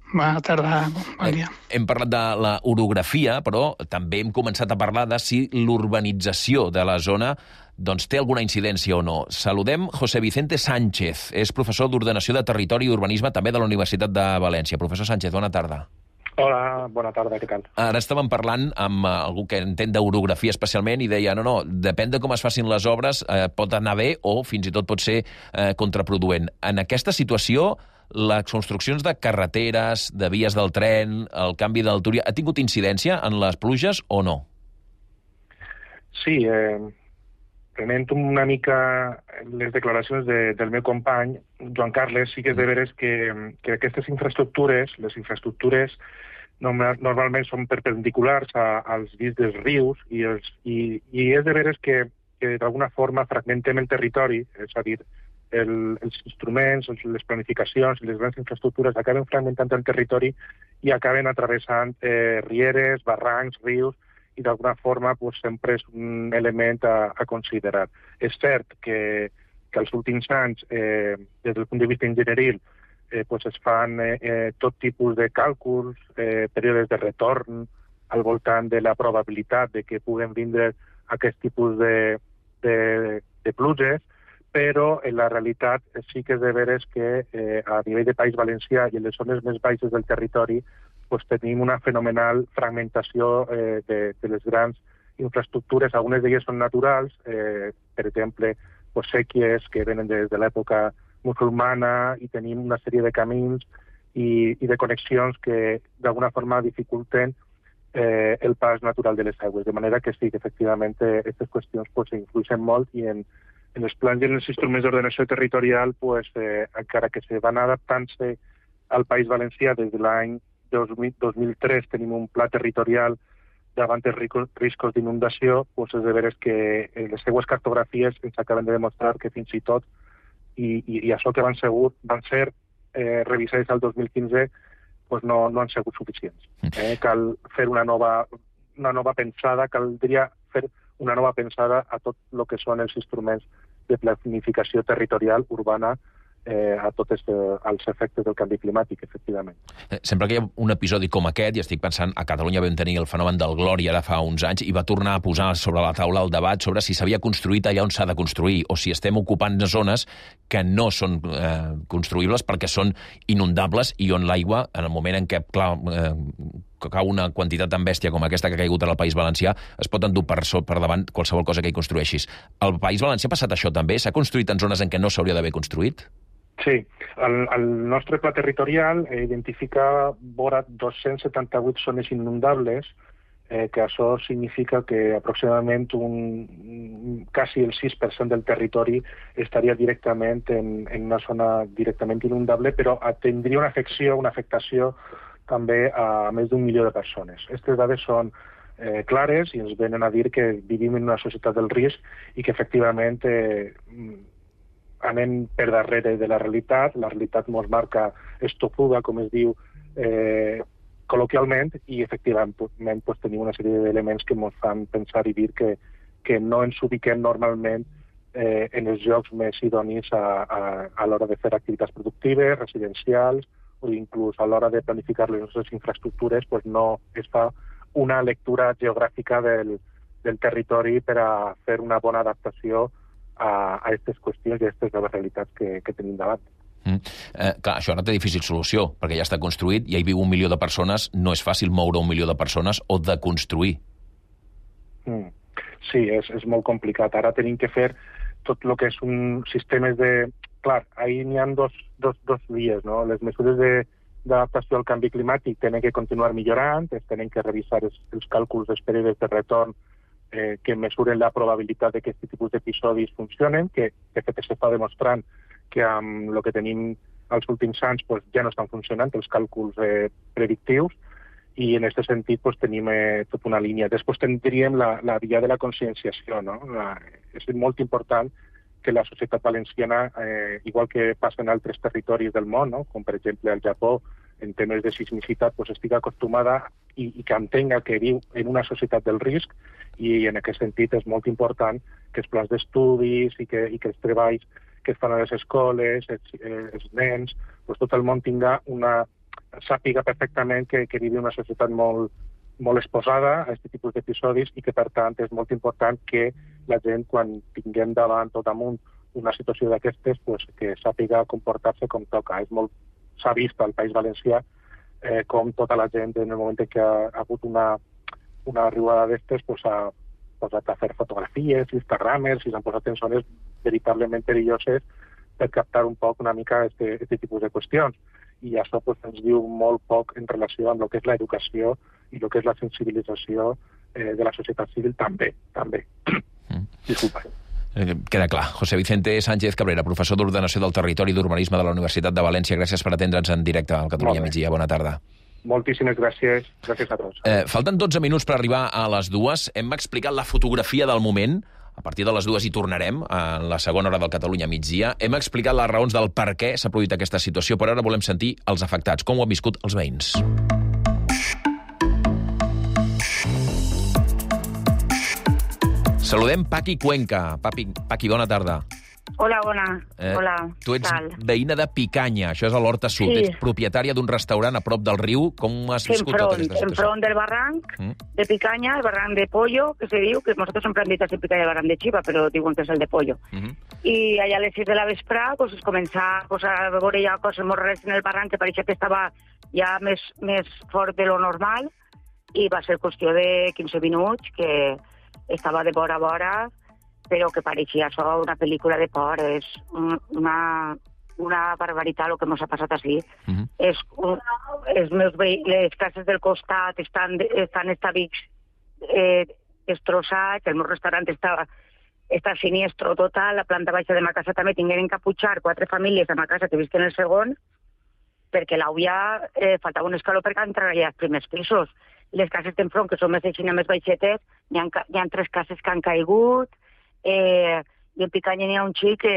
Bona tarda, bon dia. Hem parlat de la orografia, però també hem començat a parlar de si l'urbanització de la zona doncs, té alguna incidència o no. Saludem José Vicente Sánchez, és professor d'Ordenació de Territori i Urbanisme també de la Universitat de València. Professor Sánchez, bona tarda. Hola, bona tarda, què tal? Ara estàvem parlant amb algú que entén d'orografia especialment i deia, no, no, depèn de com es facin les obres, eh, pot anar bé o fins i tot pot ser eh, contraproduent. En aquesta situació, les construccions de carreteres, de vies del tren, el canvi del Túria, ha tingut incidència en les pluges o no? Sí, eh, prenent una mica les declaracions de, del meu company, Joan Carles, sí que és de veres que, que aquestes infraestructures, les infraestructures normalment són perpendiculars a, als vits dels rius i, els, i, i és de veres que, que d'alguna forma fragmentem el territori, és a dir, El, els instruments, les planificacions i les grans infraestructures acaben fragmentant el territori i acaben atravessant eh, rieres, barrancs, rius, i d'alguna forma pues, sempre és un element a, a considerar. És cert que, que als últims anys, eh, des del punt de vista enginyeril, eh, pues, es fan eh, eh, tot tipus de càlculs, eh, períodes de retorn, al voltant de la probabilitat de que puguen vindre aquest tipus de, de, de pluges, però en la realitat sí que és de veres que eh, a nivell de País Valencià i en les zones més baixes del territori pues, tenim una fenomenal fragmentació eh, de, de les grans infraestructures. Algunes d'elles són naturals, eh, per exemple, pues, sèquies que venen des de l'època musulmana, i tenim una sèrie de camins i, i de connexions que d'alguna forma dificulten eh, el pas natural de les aigües. De manera que sí, que efectivament aquestes qüestions pues, influeixen molt, i en, en els plans i en els instruments d'ordenació territorial, pues, eh, encara que se van adaptant-se al País Valencià des de l'any dos mil tres, tenim un pla territorial davant els riscos d'inundació, pues, és de veres que les seues cartografies ens acaben de demostrar que fins i tot, i, i, i això que van, segur, van ser eh, revisades al dos mil quinze, pues no, no han sigut suficients. Eh? Cal fer una nova, una nova pensada, caldria fer una nova pensada a tot el que són els instruments de planificació territorial urbana eh, a tots els efectes del canvi climàtic, efectivament. Sempre que hi ha un episodi com aquest, i estic pensant, a Catalunya vam tenir el fenomen del Glòria ara fa uns anys, i va tornar a posar sobre la taula el debat sobre si s'havia construït allà on s'ha de construir, o si estem ocupant zones que no són eh, construïbles perquè són inundables, i on l'aigua, en el moment en què, clar, eh, que cau una quantitat tan bèstia com aquesta que ha caigut al País Valencià, es pot endur per, per davant qualsevol cosa que hi construeixis. Al País Valencià ha passat això també? S'ha construït en zones en què no s'hauria d'haver construït? Sí, el, el nostre pla territorial eh, identifica vora dos-cents setanta-vuit zones inundables, eh, que això significa que aproximadament un, quasi el sis per cent del territori estaria directament en, en una zona directament inundable, però tindria una afecció, una afectació també a més d'un milió de persones. Aquestes dades són eh, clares i ens venen a dir que vivim en una societat del risc i que efectivament eh, anem per darrere de la realitat. La realitat ens marca estopuda, com es diu eh, col·loquialment, i efectivament pues, tenim una sèrie d'elements que ens fan pensar i dir que, que no ens ubiquem normalment eh, en els llocs més idonis a, a, a l'hora de fer activitats productives, residencials, o inclús a l'hora de planificar les nostres infraestructures, pues no es fa una lectura geogràfica del, del territori per a fer una bona adaptació a aquestes qüestions i a aquestes noves realitats que, que tenim davant. Mm. Eh, clar, això ara té difícil solució, perquè ja està construït, ja hi viu un milió de persones, no és fàcil moure un milió de persones o de construir. Mm. Sí, és, és molt complicat. Ara tenim que fer tot el que és un sistemes de... Clar, ahir n'hi ha dos, dos, dos vies, no? Les mesures d'adaptació al canvi climàtic tenen que continuar millorant, es tenen que revisar els, els càlculs dels períodes de retorn eh, que mesuren la probabilitat de que aquest tipus d'episodis funcionen, que de fet s'està demostrant que amb el que tenim als últims anys pues, ja no estan funcionant els càlculs eh, predictius, i en aquest sentit pues, tenim eh, tota una línia. Després tindríem la, la via de la conscienciació, no? La, és molt important que la societat valenciana, eh, igual que passa en altres territoris del món, no? Com per exemple el Japó, en temes de sismicitat, pues, estigui acostumada i, i que entenga que viu en una societat del risc, i en aquest sentit és molt important que els plans d'estudis i que, i que els treballs que es fan a les escoles, els, eh, els nens, pues, tot el món tinga una... sàpiga perfectament que, que vivi una societat molt, molt exposada a aquest tipus d'episodis i que, per tant, és molt important que la gent, quan tinguem davant o damunt una situació d'aquestes, pues, que sàpiga comportar-se com toca. És molt... S'ha vist al País Valencià eh, com tota la gent, en el moment en què ha, ha hagut una, una arribada d'estes, pues, ha posat a fer fotografies, instagramers, i s'han posat en zones veritablement perilloses per captar un poc una mica aquest tipus de qüestions. I això pues, ens diu molt poc en relació amb el que és l'educació i el que és la sensibilització eh, de la societat civil també. també. Mm. Disculpa. Eh, queda clar. José Vicente Sánchez Cabrera, professor d'Ordenació del Territori i d'Urbanisme de la Universitat de València. Gràcies per atendre'ns en directe al Catalunya Migdia. Bona tarda. Moltíssimes gràcies. Gràcies a tots. Eh, falten dotze minuts per arribar a les dues. Hem explicat la fotografia del moment. A partir de les dues hi tornarem, a la segona hora del Catalunya Migdia. Hem explicat les raons del per què s'ha produït aquesta situació, però ara volem sentir els afectats, com ho han viscut els veïns. Saludem Paqui Cuenca. Papi, Paqui, bona tarda. Hola, bona. Eh, Hola. Tu ets tal? veïna de Picanya, això és a l'Horta Sud. Sí. Ets propietària d'un restaurant a prop del riu. Com has viscut enfront, tota aquesta situació? enfront del barranc Mm. de Picanya, el barranc de Pollo, que se diu, que nosaltres sempre hem dit así Picanya el barranc de Chiva, però diuen que és el de Pollo. Mm-hmm. I allà a les sis de la vesprà pues, es comença pues, a veure ja coses molt rares en el barranc, que pareixia que estava ja més, més fort de lo normal, i va ser qüestió de quinze minuts, que estava de vora a vora, però que pareixia això una pel·lícula de por. És una, una barbaritat el que ens ha passat així. Uh-huh. És, un, els meus veï... Les cases del costat estan, estan estabics eh, destrossats, el meu restaurant estava està siniestro total, la planta baixa de ma casa també tingueren que pujar quatre famílies a ma casa que visquen el segon, perquè l'àvia eh, faltava un escaló perquè entrava allà als primers pisos. Les cases d'enfront, que són més així, més baixetes, hi ha, hi ha tres cases que han caigut, eh, i en Picanya n'hi ha un xic que,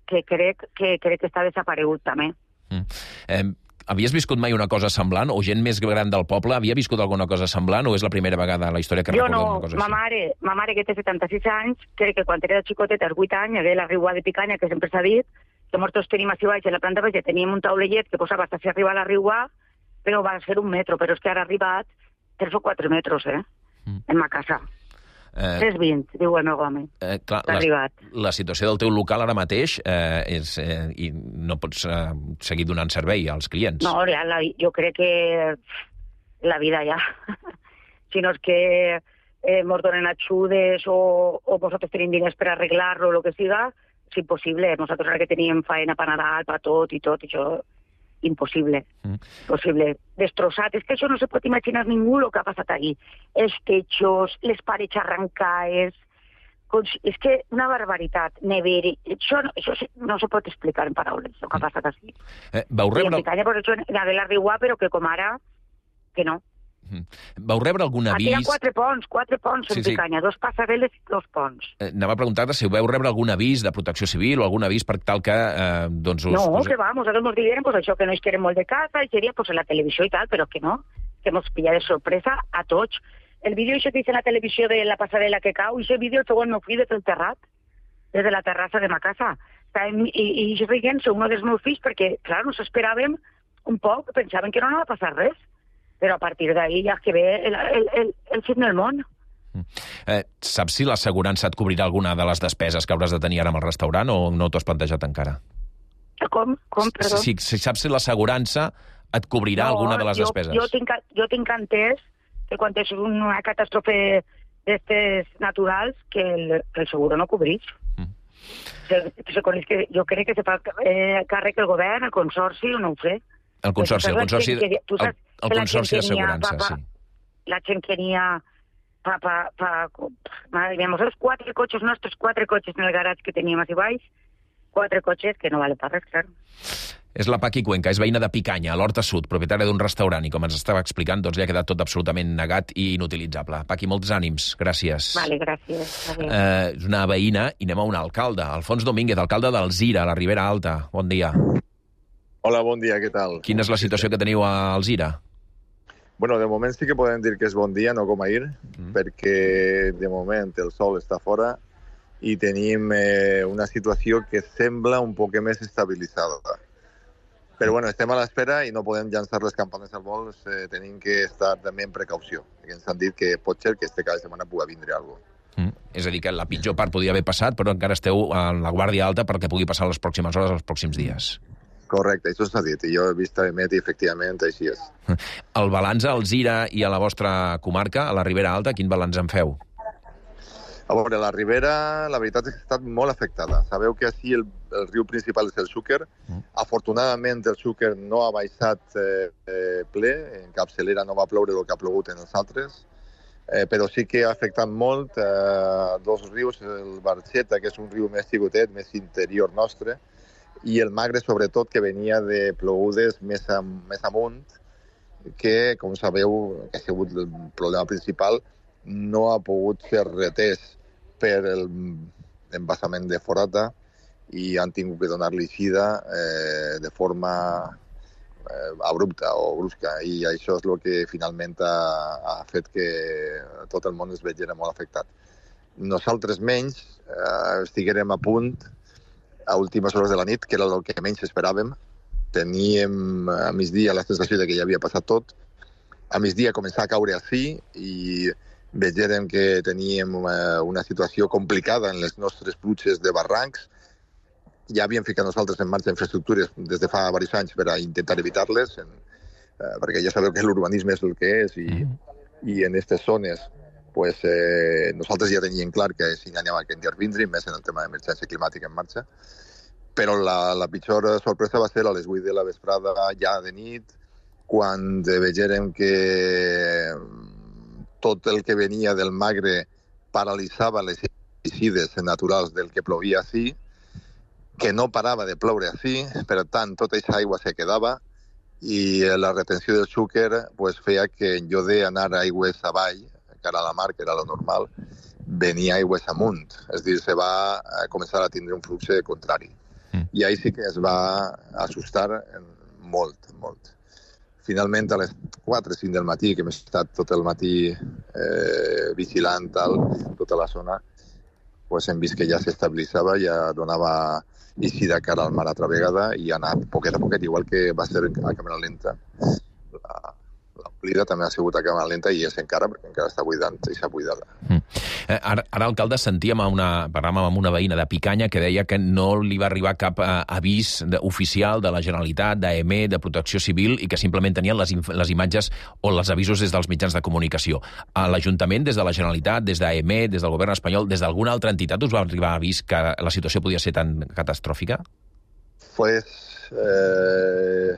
que, crec, que crec que està desaparegut també. Mm. Eh, havies viscut mai una cosa semblant? O gent més gran del poble havia viscut alguna cosa semblant? O és la primera vegada a la història que jo recordeu no, una cosa ma així? mare, ma mare, que té setanta-sis anys, crec que quan era xicoteta, als vuit anys, era la riua de Picanya, que sempre s'ha dit, que nosaltres tenim així baix, a la planta baixa teníem un taulellet que posava hasta si arriba a la riua, però va ser un metro, però és que ara ha arribat tres o quatre metres, eh, mm. en ma casa. Eh, tres vint, diu el meu home. Eh, clar, ha arribat. La, la situació del teu local ara mateix eh, és, eh, i no pots eh, seguir donant servei als clients. No, ja, la, jo crec que la vida ja. Si no és que eh, mos donen ajudes o, o vosaltres tenim diners per arreglar-lo o el que siga, és impossible. Nosaltres ara que teníem faena per Nadal, per tot i tot, això impossible. Mm. Impossible. Destrossat. És que això no se pot imaginar ningú el que ha passat aquí. Els techos, les parets arrancades, és que una barbaritat. Neveri. Això, això no se pot explicar en paraules, el que ha passat així. Eh, vau rebre... I en Picanya, per això, la de la Riua, però que com ara, que no. Vau rebre algun avís... Aquí hi ha quatre ponts, quatre ponts en sí, Picanya, sí. Dos passarel·les i dos ponts. Eh, anava a preguntar-te si vau rebre algun avís de protecció civil o algun avís per tal que... Eh, doncs us, no, us... que va, nosaltres ens diguem pues, això que no es querem molt de casa i seria pues, en la televisió i tal, però que no, que ens pilla de sorpresa a tots. El vídeo això que dice en la televisió de la passarel·la que cau, i aquest vídeo el segon meu fill des del terrat, des de la terrassa de ma casa. I, i jo riguent-se un dels meus fills perquè, clar, nos esperàvem un poc, pensaven que no anava a passar res. Però a partir d'ahir ja que ve el, el, el, el fin del món. Eh, saps si l'assegurança et cobrirà alguna de les despeses que hauràs de tenir ara amb el restaurant o no t'ho has plantejat encara? Com? Com, perdó? Si, si saps si l'assegurança et cobrirà no, alguna de les jo, despeses? Jo tinc, jo tinc entès que quan és una catàstrofe d'estes naturals que el, que el seguro no cobreix. Mm. Se, se coneix que, jo crec que se fa eh, càrrec el govern, el consorci, o no ho sé. El consorci, el consorci, que, que, el, el consorci d'assegurança, sí. La gent que n'hi ha pa, pa, pa, madre mía, els quatre cotxes nostres, quatre cotxes en el garatge que teníem així baix, quatre cotxes que no vale per res, clar. És la Paqui Cuenca, és veïna de Picanya, a l'Horta Sud, propietària d'un restaurant, i com ens estava explicant, doncs li ha quedat tot absolutament negat i inutilitzable. Paqui, molts ànims, gràcies. Vale, gràcies. Eh, és una veïna, i anem a un alcalde, Alfons Domínguez, alcalde d'Alzira, a la Ribera Alta. Bon dia. Hola, bon dia, què tal? Quina és la situació que teniu a Alzira? Bueno, de moment sí que podem dir que és bon dia, no com ahir, mm. perquè de moment el sol està fora i tenim eh, una situació que sembla un poc més estabilitzada. Però bueno, estem a l'espera i no podem llançar les campanes al vol, eh, tenim que estar també en precaució. Ens han dit que pot ser que este cada setmana pugui vindre alguna cosa. Mm. És a dir, que la pitjor part podia haver passat, però encara esteu en la guàrdia alta perquè pugui passar les pròximes hores, els pròxims dies. Correcte, això s'ha dit, i jo he vist a Emet i efectivament així és. El balanç a Alzira i a la vostra comarca, a la Ribera Alta, quin balanç en feu? A veure, la Ribera, la veritat és que ha estat molt afectada. Sabeu que així el, el riu principal és el Xúquer. Mm. Afortunadament el Xúquer no ha baixat eh, eh, ple, en capçalera no va ploure el que ha plogut en els altres, eh, però sí que ha afectat molt eh, dos rius, el Barxeta, que és un riu més xicotet, més interior nostre, i el Magre, sobretot, que venia de plogudes més, am, més amunt, que, com sabeu, que ha sigut el problema principal, no ha pogut ser retès per l'embassament de Forata i han tingut que donar-li eixida eh, de forma eh, abrupta o brusca. I això és el que finalment ha, ha fet que tot el món es veiera molt afectat. Nosaltres menys eh, estiguérem a punt a últimes hores de la nit, que era el que menys esperàvem. Teníem a migdia la sensació de que ja havia passat tot. A migdia començava a caure així i vegérem que teníem una situació complicada en les nostres pluges de barrancs. Ja havíem ficat nosaltres en marxa infraestructures des de fa diversos anys per a intentar evitar-les, en eh, perquè ja sabeu que l'urbanisme és el que és i, i en aquestes zones pues, eh, nosaltres ja teníem clar que si anem a intervindre, més en el tema d'emergència climàtica en marxa, però la, la pitjor sorpresa va ser a les vuit de la vesprada, ja de nit, quan vegérem que tot el que venia del Magre paralitzava les eixides naturals del que plovia així, que no parava de ploure així, per tant, tota aquesta aigua se quedava i la retenció del Xúquer pues, feia que en lloc d'anar aigües avall, cara a la mar, que era lo normal, venia aigües amunt. És a dir, se va començar a tindre un flux contrari. Mm. I ahí sí que es va assustar molt, molt. Finalment, a les quatre o cinc del matí, que hem estat tot el matí eh, vigilant tal, tota la zona, pues hem vist que ja s'estabilitzava, ja donava eixida cara al mar altra vegada i ha anat poquet a poquet, igual que va ser a càmera lenta. La, l'omplida també ha sigut a càmera lenta i és encara, perquè encara està buidant i s'ha buidada. Mm. Eh, ara, ara, alcalde, sentíem a una, parlàvem amb una veïna de Picanya que deia que no li va arribar cap eh, avís de, oficial de la Generalitat, d'A E M E, de Protecció Civil, i que simplement tenien les, les imatges o els avisos des dels mitjans de comunicació. A l'Ajuntament, des de la Generalitat, des d'A E M E, des del govern espanyol, des d'alguna altra entitat, us va arribar avís que la situació podia ser tan catastròfica? Pues... Eh...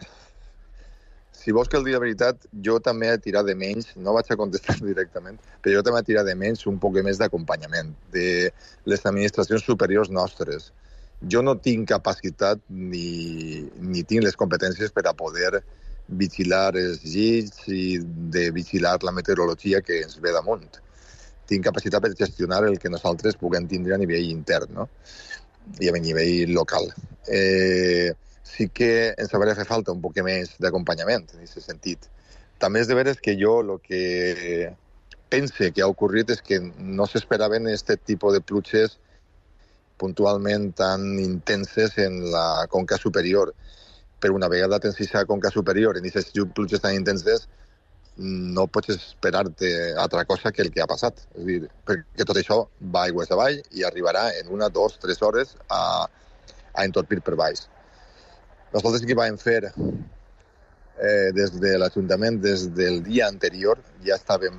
Si vols que el dia de veritat, jo també he tirat de menys, no vaig a contestar directament, però jo també he tirat de menys un poc més d'acompanyament de les administracions superiors nostres. Jo no tinc capacitat ni, ni tinc les competències per a poder vigilar els llits i de vigilar la meteorologia que ens ve damunt. Tinc capacitat per gestionar el que nosaltres puguem tindre a nivell intern, no? I a nivell local. Eh... sí que ens hauria fet falta un poc més d'acompanyament en aquest sentit. També és de veres que jo el que pense que ha ocorrit és que no s'esperaven aquest tipus de pluges puntualment tan intenses en la conca superior. Però una vegada tens aquesta conca superior en aquestes pluges tan intenses, no pots esperar-te altra cosa que el que ha passat. És a dir, perquè tot això va aigües avall i arribarà en una, dos, tres hores a, a entorpir per baix. Nosaltres sí que vam fer eh, des de l'Ajuntament, des del dia anterior, ja estàvem...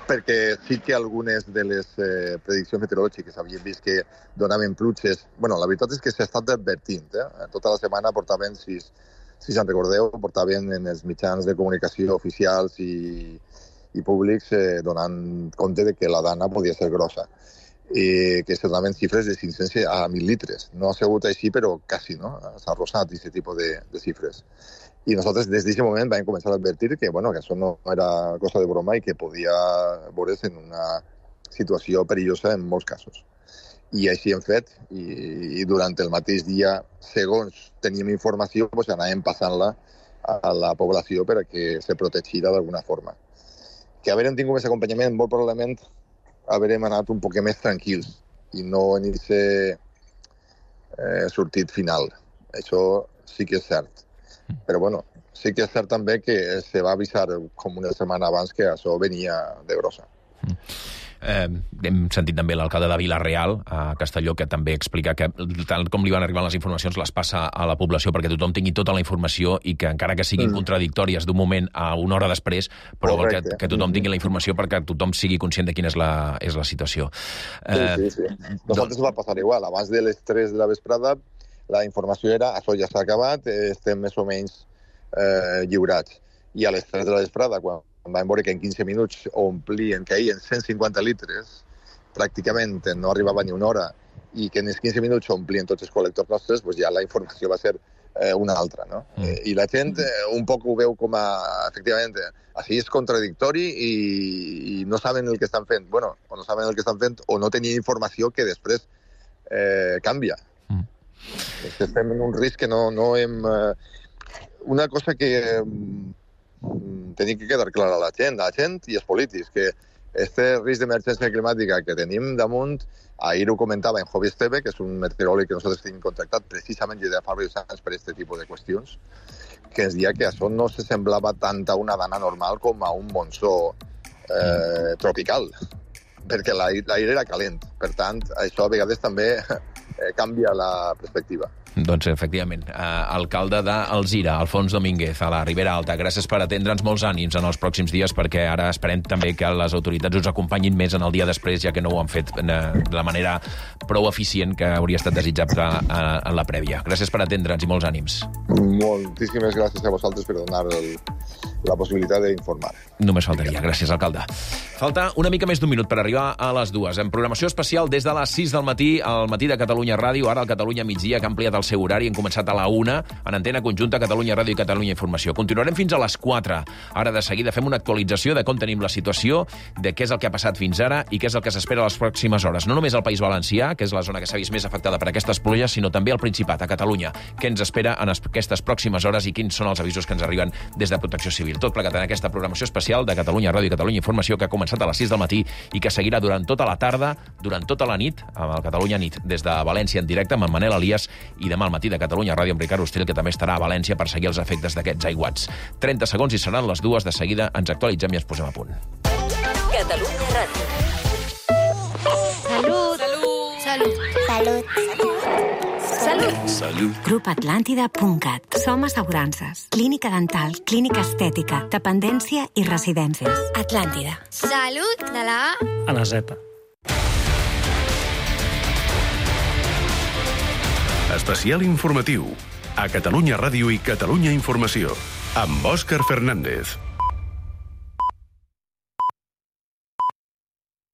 Perquè sí que algunes de les eh, prediccions meteorològiques havíem vist que donaven pluges... Bueno, la veritat és que s'ha estat advertint. Eh? Tota la setmana portaven, si, si se'n recordeu, portaven en els mitjans de comunicació oficials i, i públics eh, donant compte de que la dana podia ser grossa. Eh, que se donaven xifres de cinc-cents a mil litres. No ha sigut així, però quasi, no? S'ha arrossat aquest tipus de, de xifres. I nosaltres des d'aquest moment vam començar a advertir que, bueno, que això no era cosa de broma i que podia veure's en una situació perillosa en molts casos. I així hem fet, i, i durant el mateix dia, segons teníem informació, pues, anàvem passant-la a la població per a que se protegirà d'alguna forma. Que haurem tingut més acompanyament, molt probablement haurem anat un poc més tranquils i no en aquest eh, sortit final. Això sí que és cert. Però bueno, sí que és cert també que se va avisar com una setmana abans que això venia de grossa. Eh, hem sentit també l'alcalde de Vila-real, a Castelló, que també explica que tal com li van arribar les informacions les passa a la població perquè tothom tingui tota la informació i que encara que siguin mm. contradictòries d'un moment a una hora després, però que, que tothom tingui la informació perquè tothom sigui conscient de quina és la, és la situació. Eh, sí, sí, sí. Nosaltres va passar igual. Abans de les tres de la vesprada la informació era això ja s'ha acabat, estem més o menys eh, lliurats. I a les tres de la vesprada, quan vam veure que en quinze minuts omplien, caïen cent cinquanta litres, pràcticament no arribava ni una hora, i que en els quinze minuts omplien tots els col·lectors nostres, doncs ja la informació va ser eh, una altra, no? Mm. Eh, I la gent eh, un poc ho veu com a, efectivament, així és contradictori i, i no saben el que estan fent. Bueno, o no saben el que estan fent o no tenien informació que després eh, canvia. Mm. És que estem en un risc que no, no hem... Eh, una cosa que... Eh, tenim que quedar clar a la gent, a la gent i els polítics, que este risc d'emergència climàtica que tenim damunt, ahir ho comentava en Jovi Esteve, que és un meteoròleg que nosaltres tenim contractat precisament ja fa diversos anys per aquest tipus de qüestions, que ens deia que això no se semblava tant a una dana normal com a un monsó eh, tropical, perquè l'aire era calent. Per tant, això a vegades també eh, canvia la perspectiva. Doncs, efectivament, eh, alcalde d'Alzira, Alfons Domínguez, a la Ribera Alta. Gràcies per atendre'ns, molts ànims en els pròxims dies, perquè ara esperem també que les autoritats us acompanyin més en el dia després, ja que no ho han fet de la manera prou eficient que hauria estat desitjable en la prèvia. Gràcies per atendre'ns i molts ànims. Moltíssimes gràcies a vosaltres per donar el, la possibilitat d'informar. Només faltaria. Gràcies, alcalde. Falta una mica més d'un minut per arribar a les dues. En programació especial des de les sis del matí, al matí de Catalunya Ràdio, ara al Catalunya Migdia, que ha ampliat el seu horari. Hem començat a la una, en antena conjunta Catalunya Ràdio i Catalunya Informació. Continuarem fins a les quatre. Ara, de seguida, fem una actualització de com tenim la situació, de què és el que ha passat fins ara i què és el que s'espera a les pròximes hores. No només al País Valencià, que és la zona que s'ha vist més afectada per aquestes pluges, sinó també al Principat, a Catalunya. Què ens espera en aquestes pròximes hores i quins són els avisos que ens arriben des de Protecció Civil. Tot plegat en aquesta programació especial de Catalunya Ràdio i Catalunya Informació, que ha començat a les sis del matí i que seguirà durant tota la tarda, durant tota la nit, amb el Catalunya Nit, des de València en directe amb en Manel Elias, i demà al matí de Catalunya Ràdio amb Ricard Ostrell, que també estarà a València per seguir els efectes d'aquests aiguats. trenta segons i seran les dues. De seguida ens actualitzem i ens posem a punt. Catalunya Ràdio. Salut. Salut. Salut. Salut. Salut. Grup Atlàntida punt cat. Som assegurances. Clínica dental, clínica estètica, dependència i residències. Atlàntida. Salut de la A a la Z. Especial informatiu a Catalunya Ràdio i Catalunya Informació amb Òscar Fernández.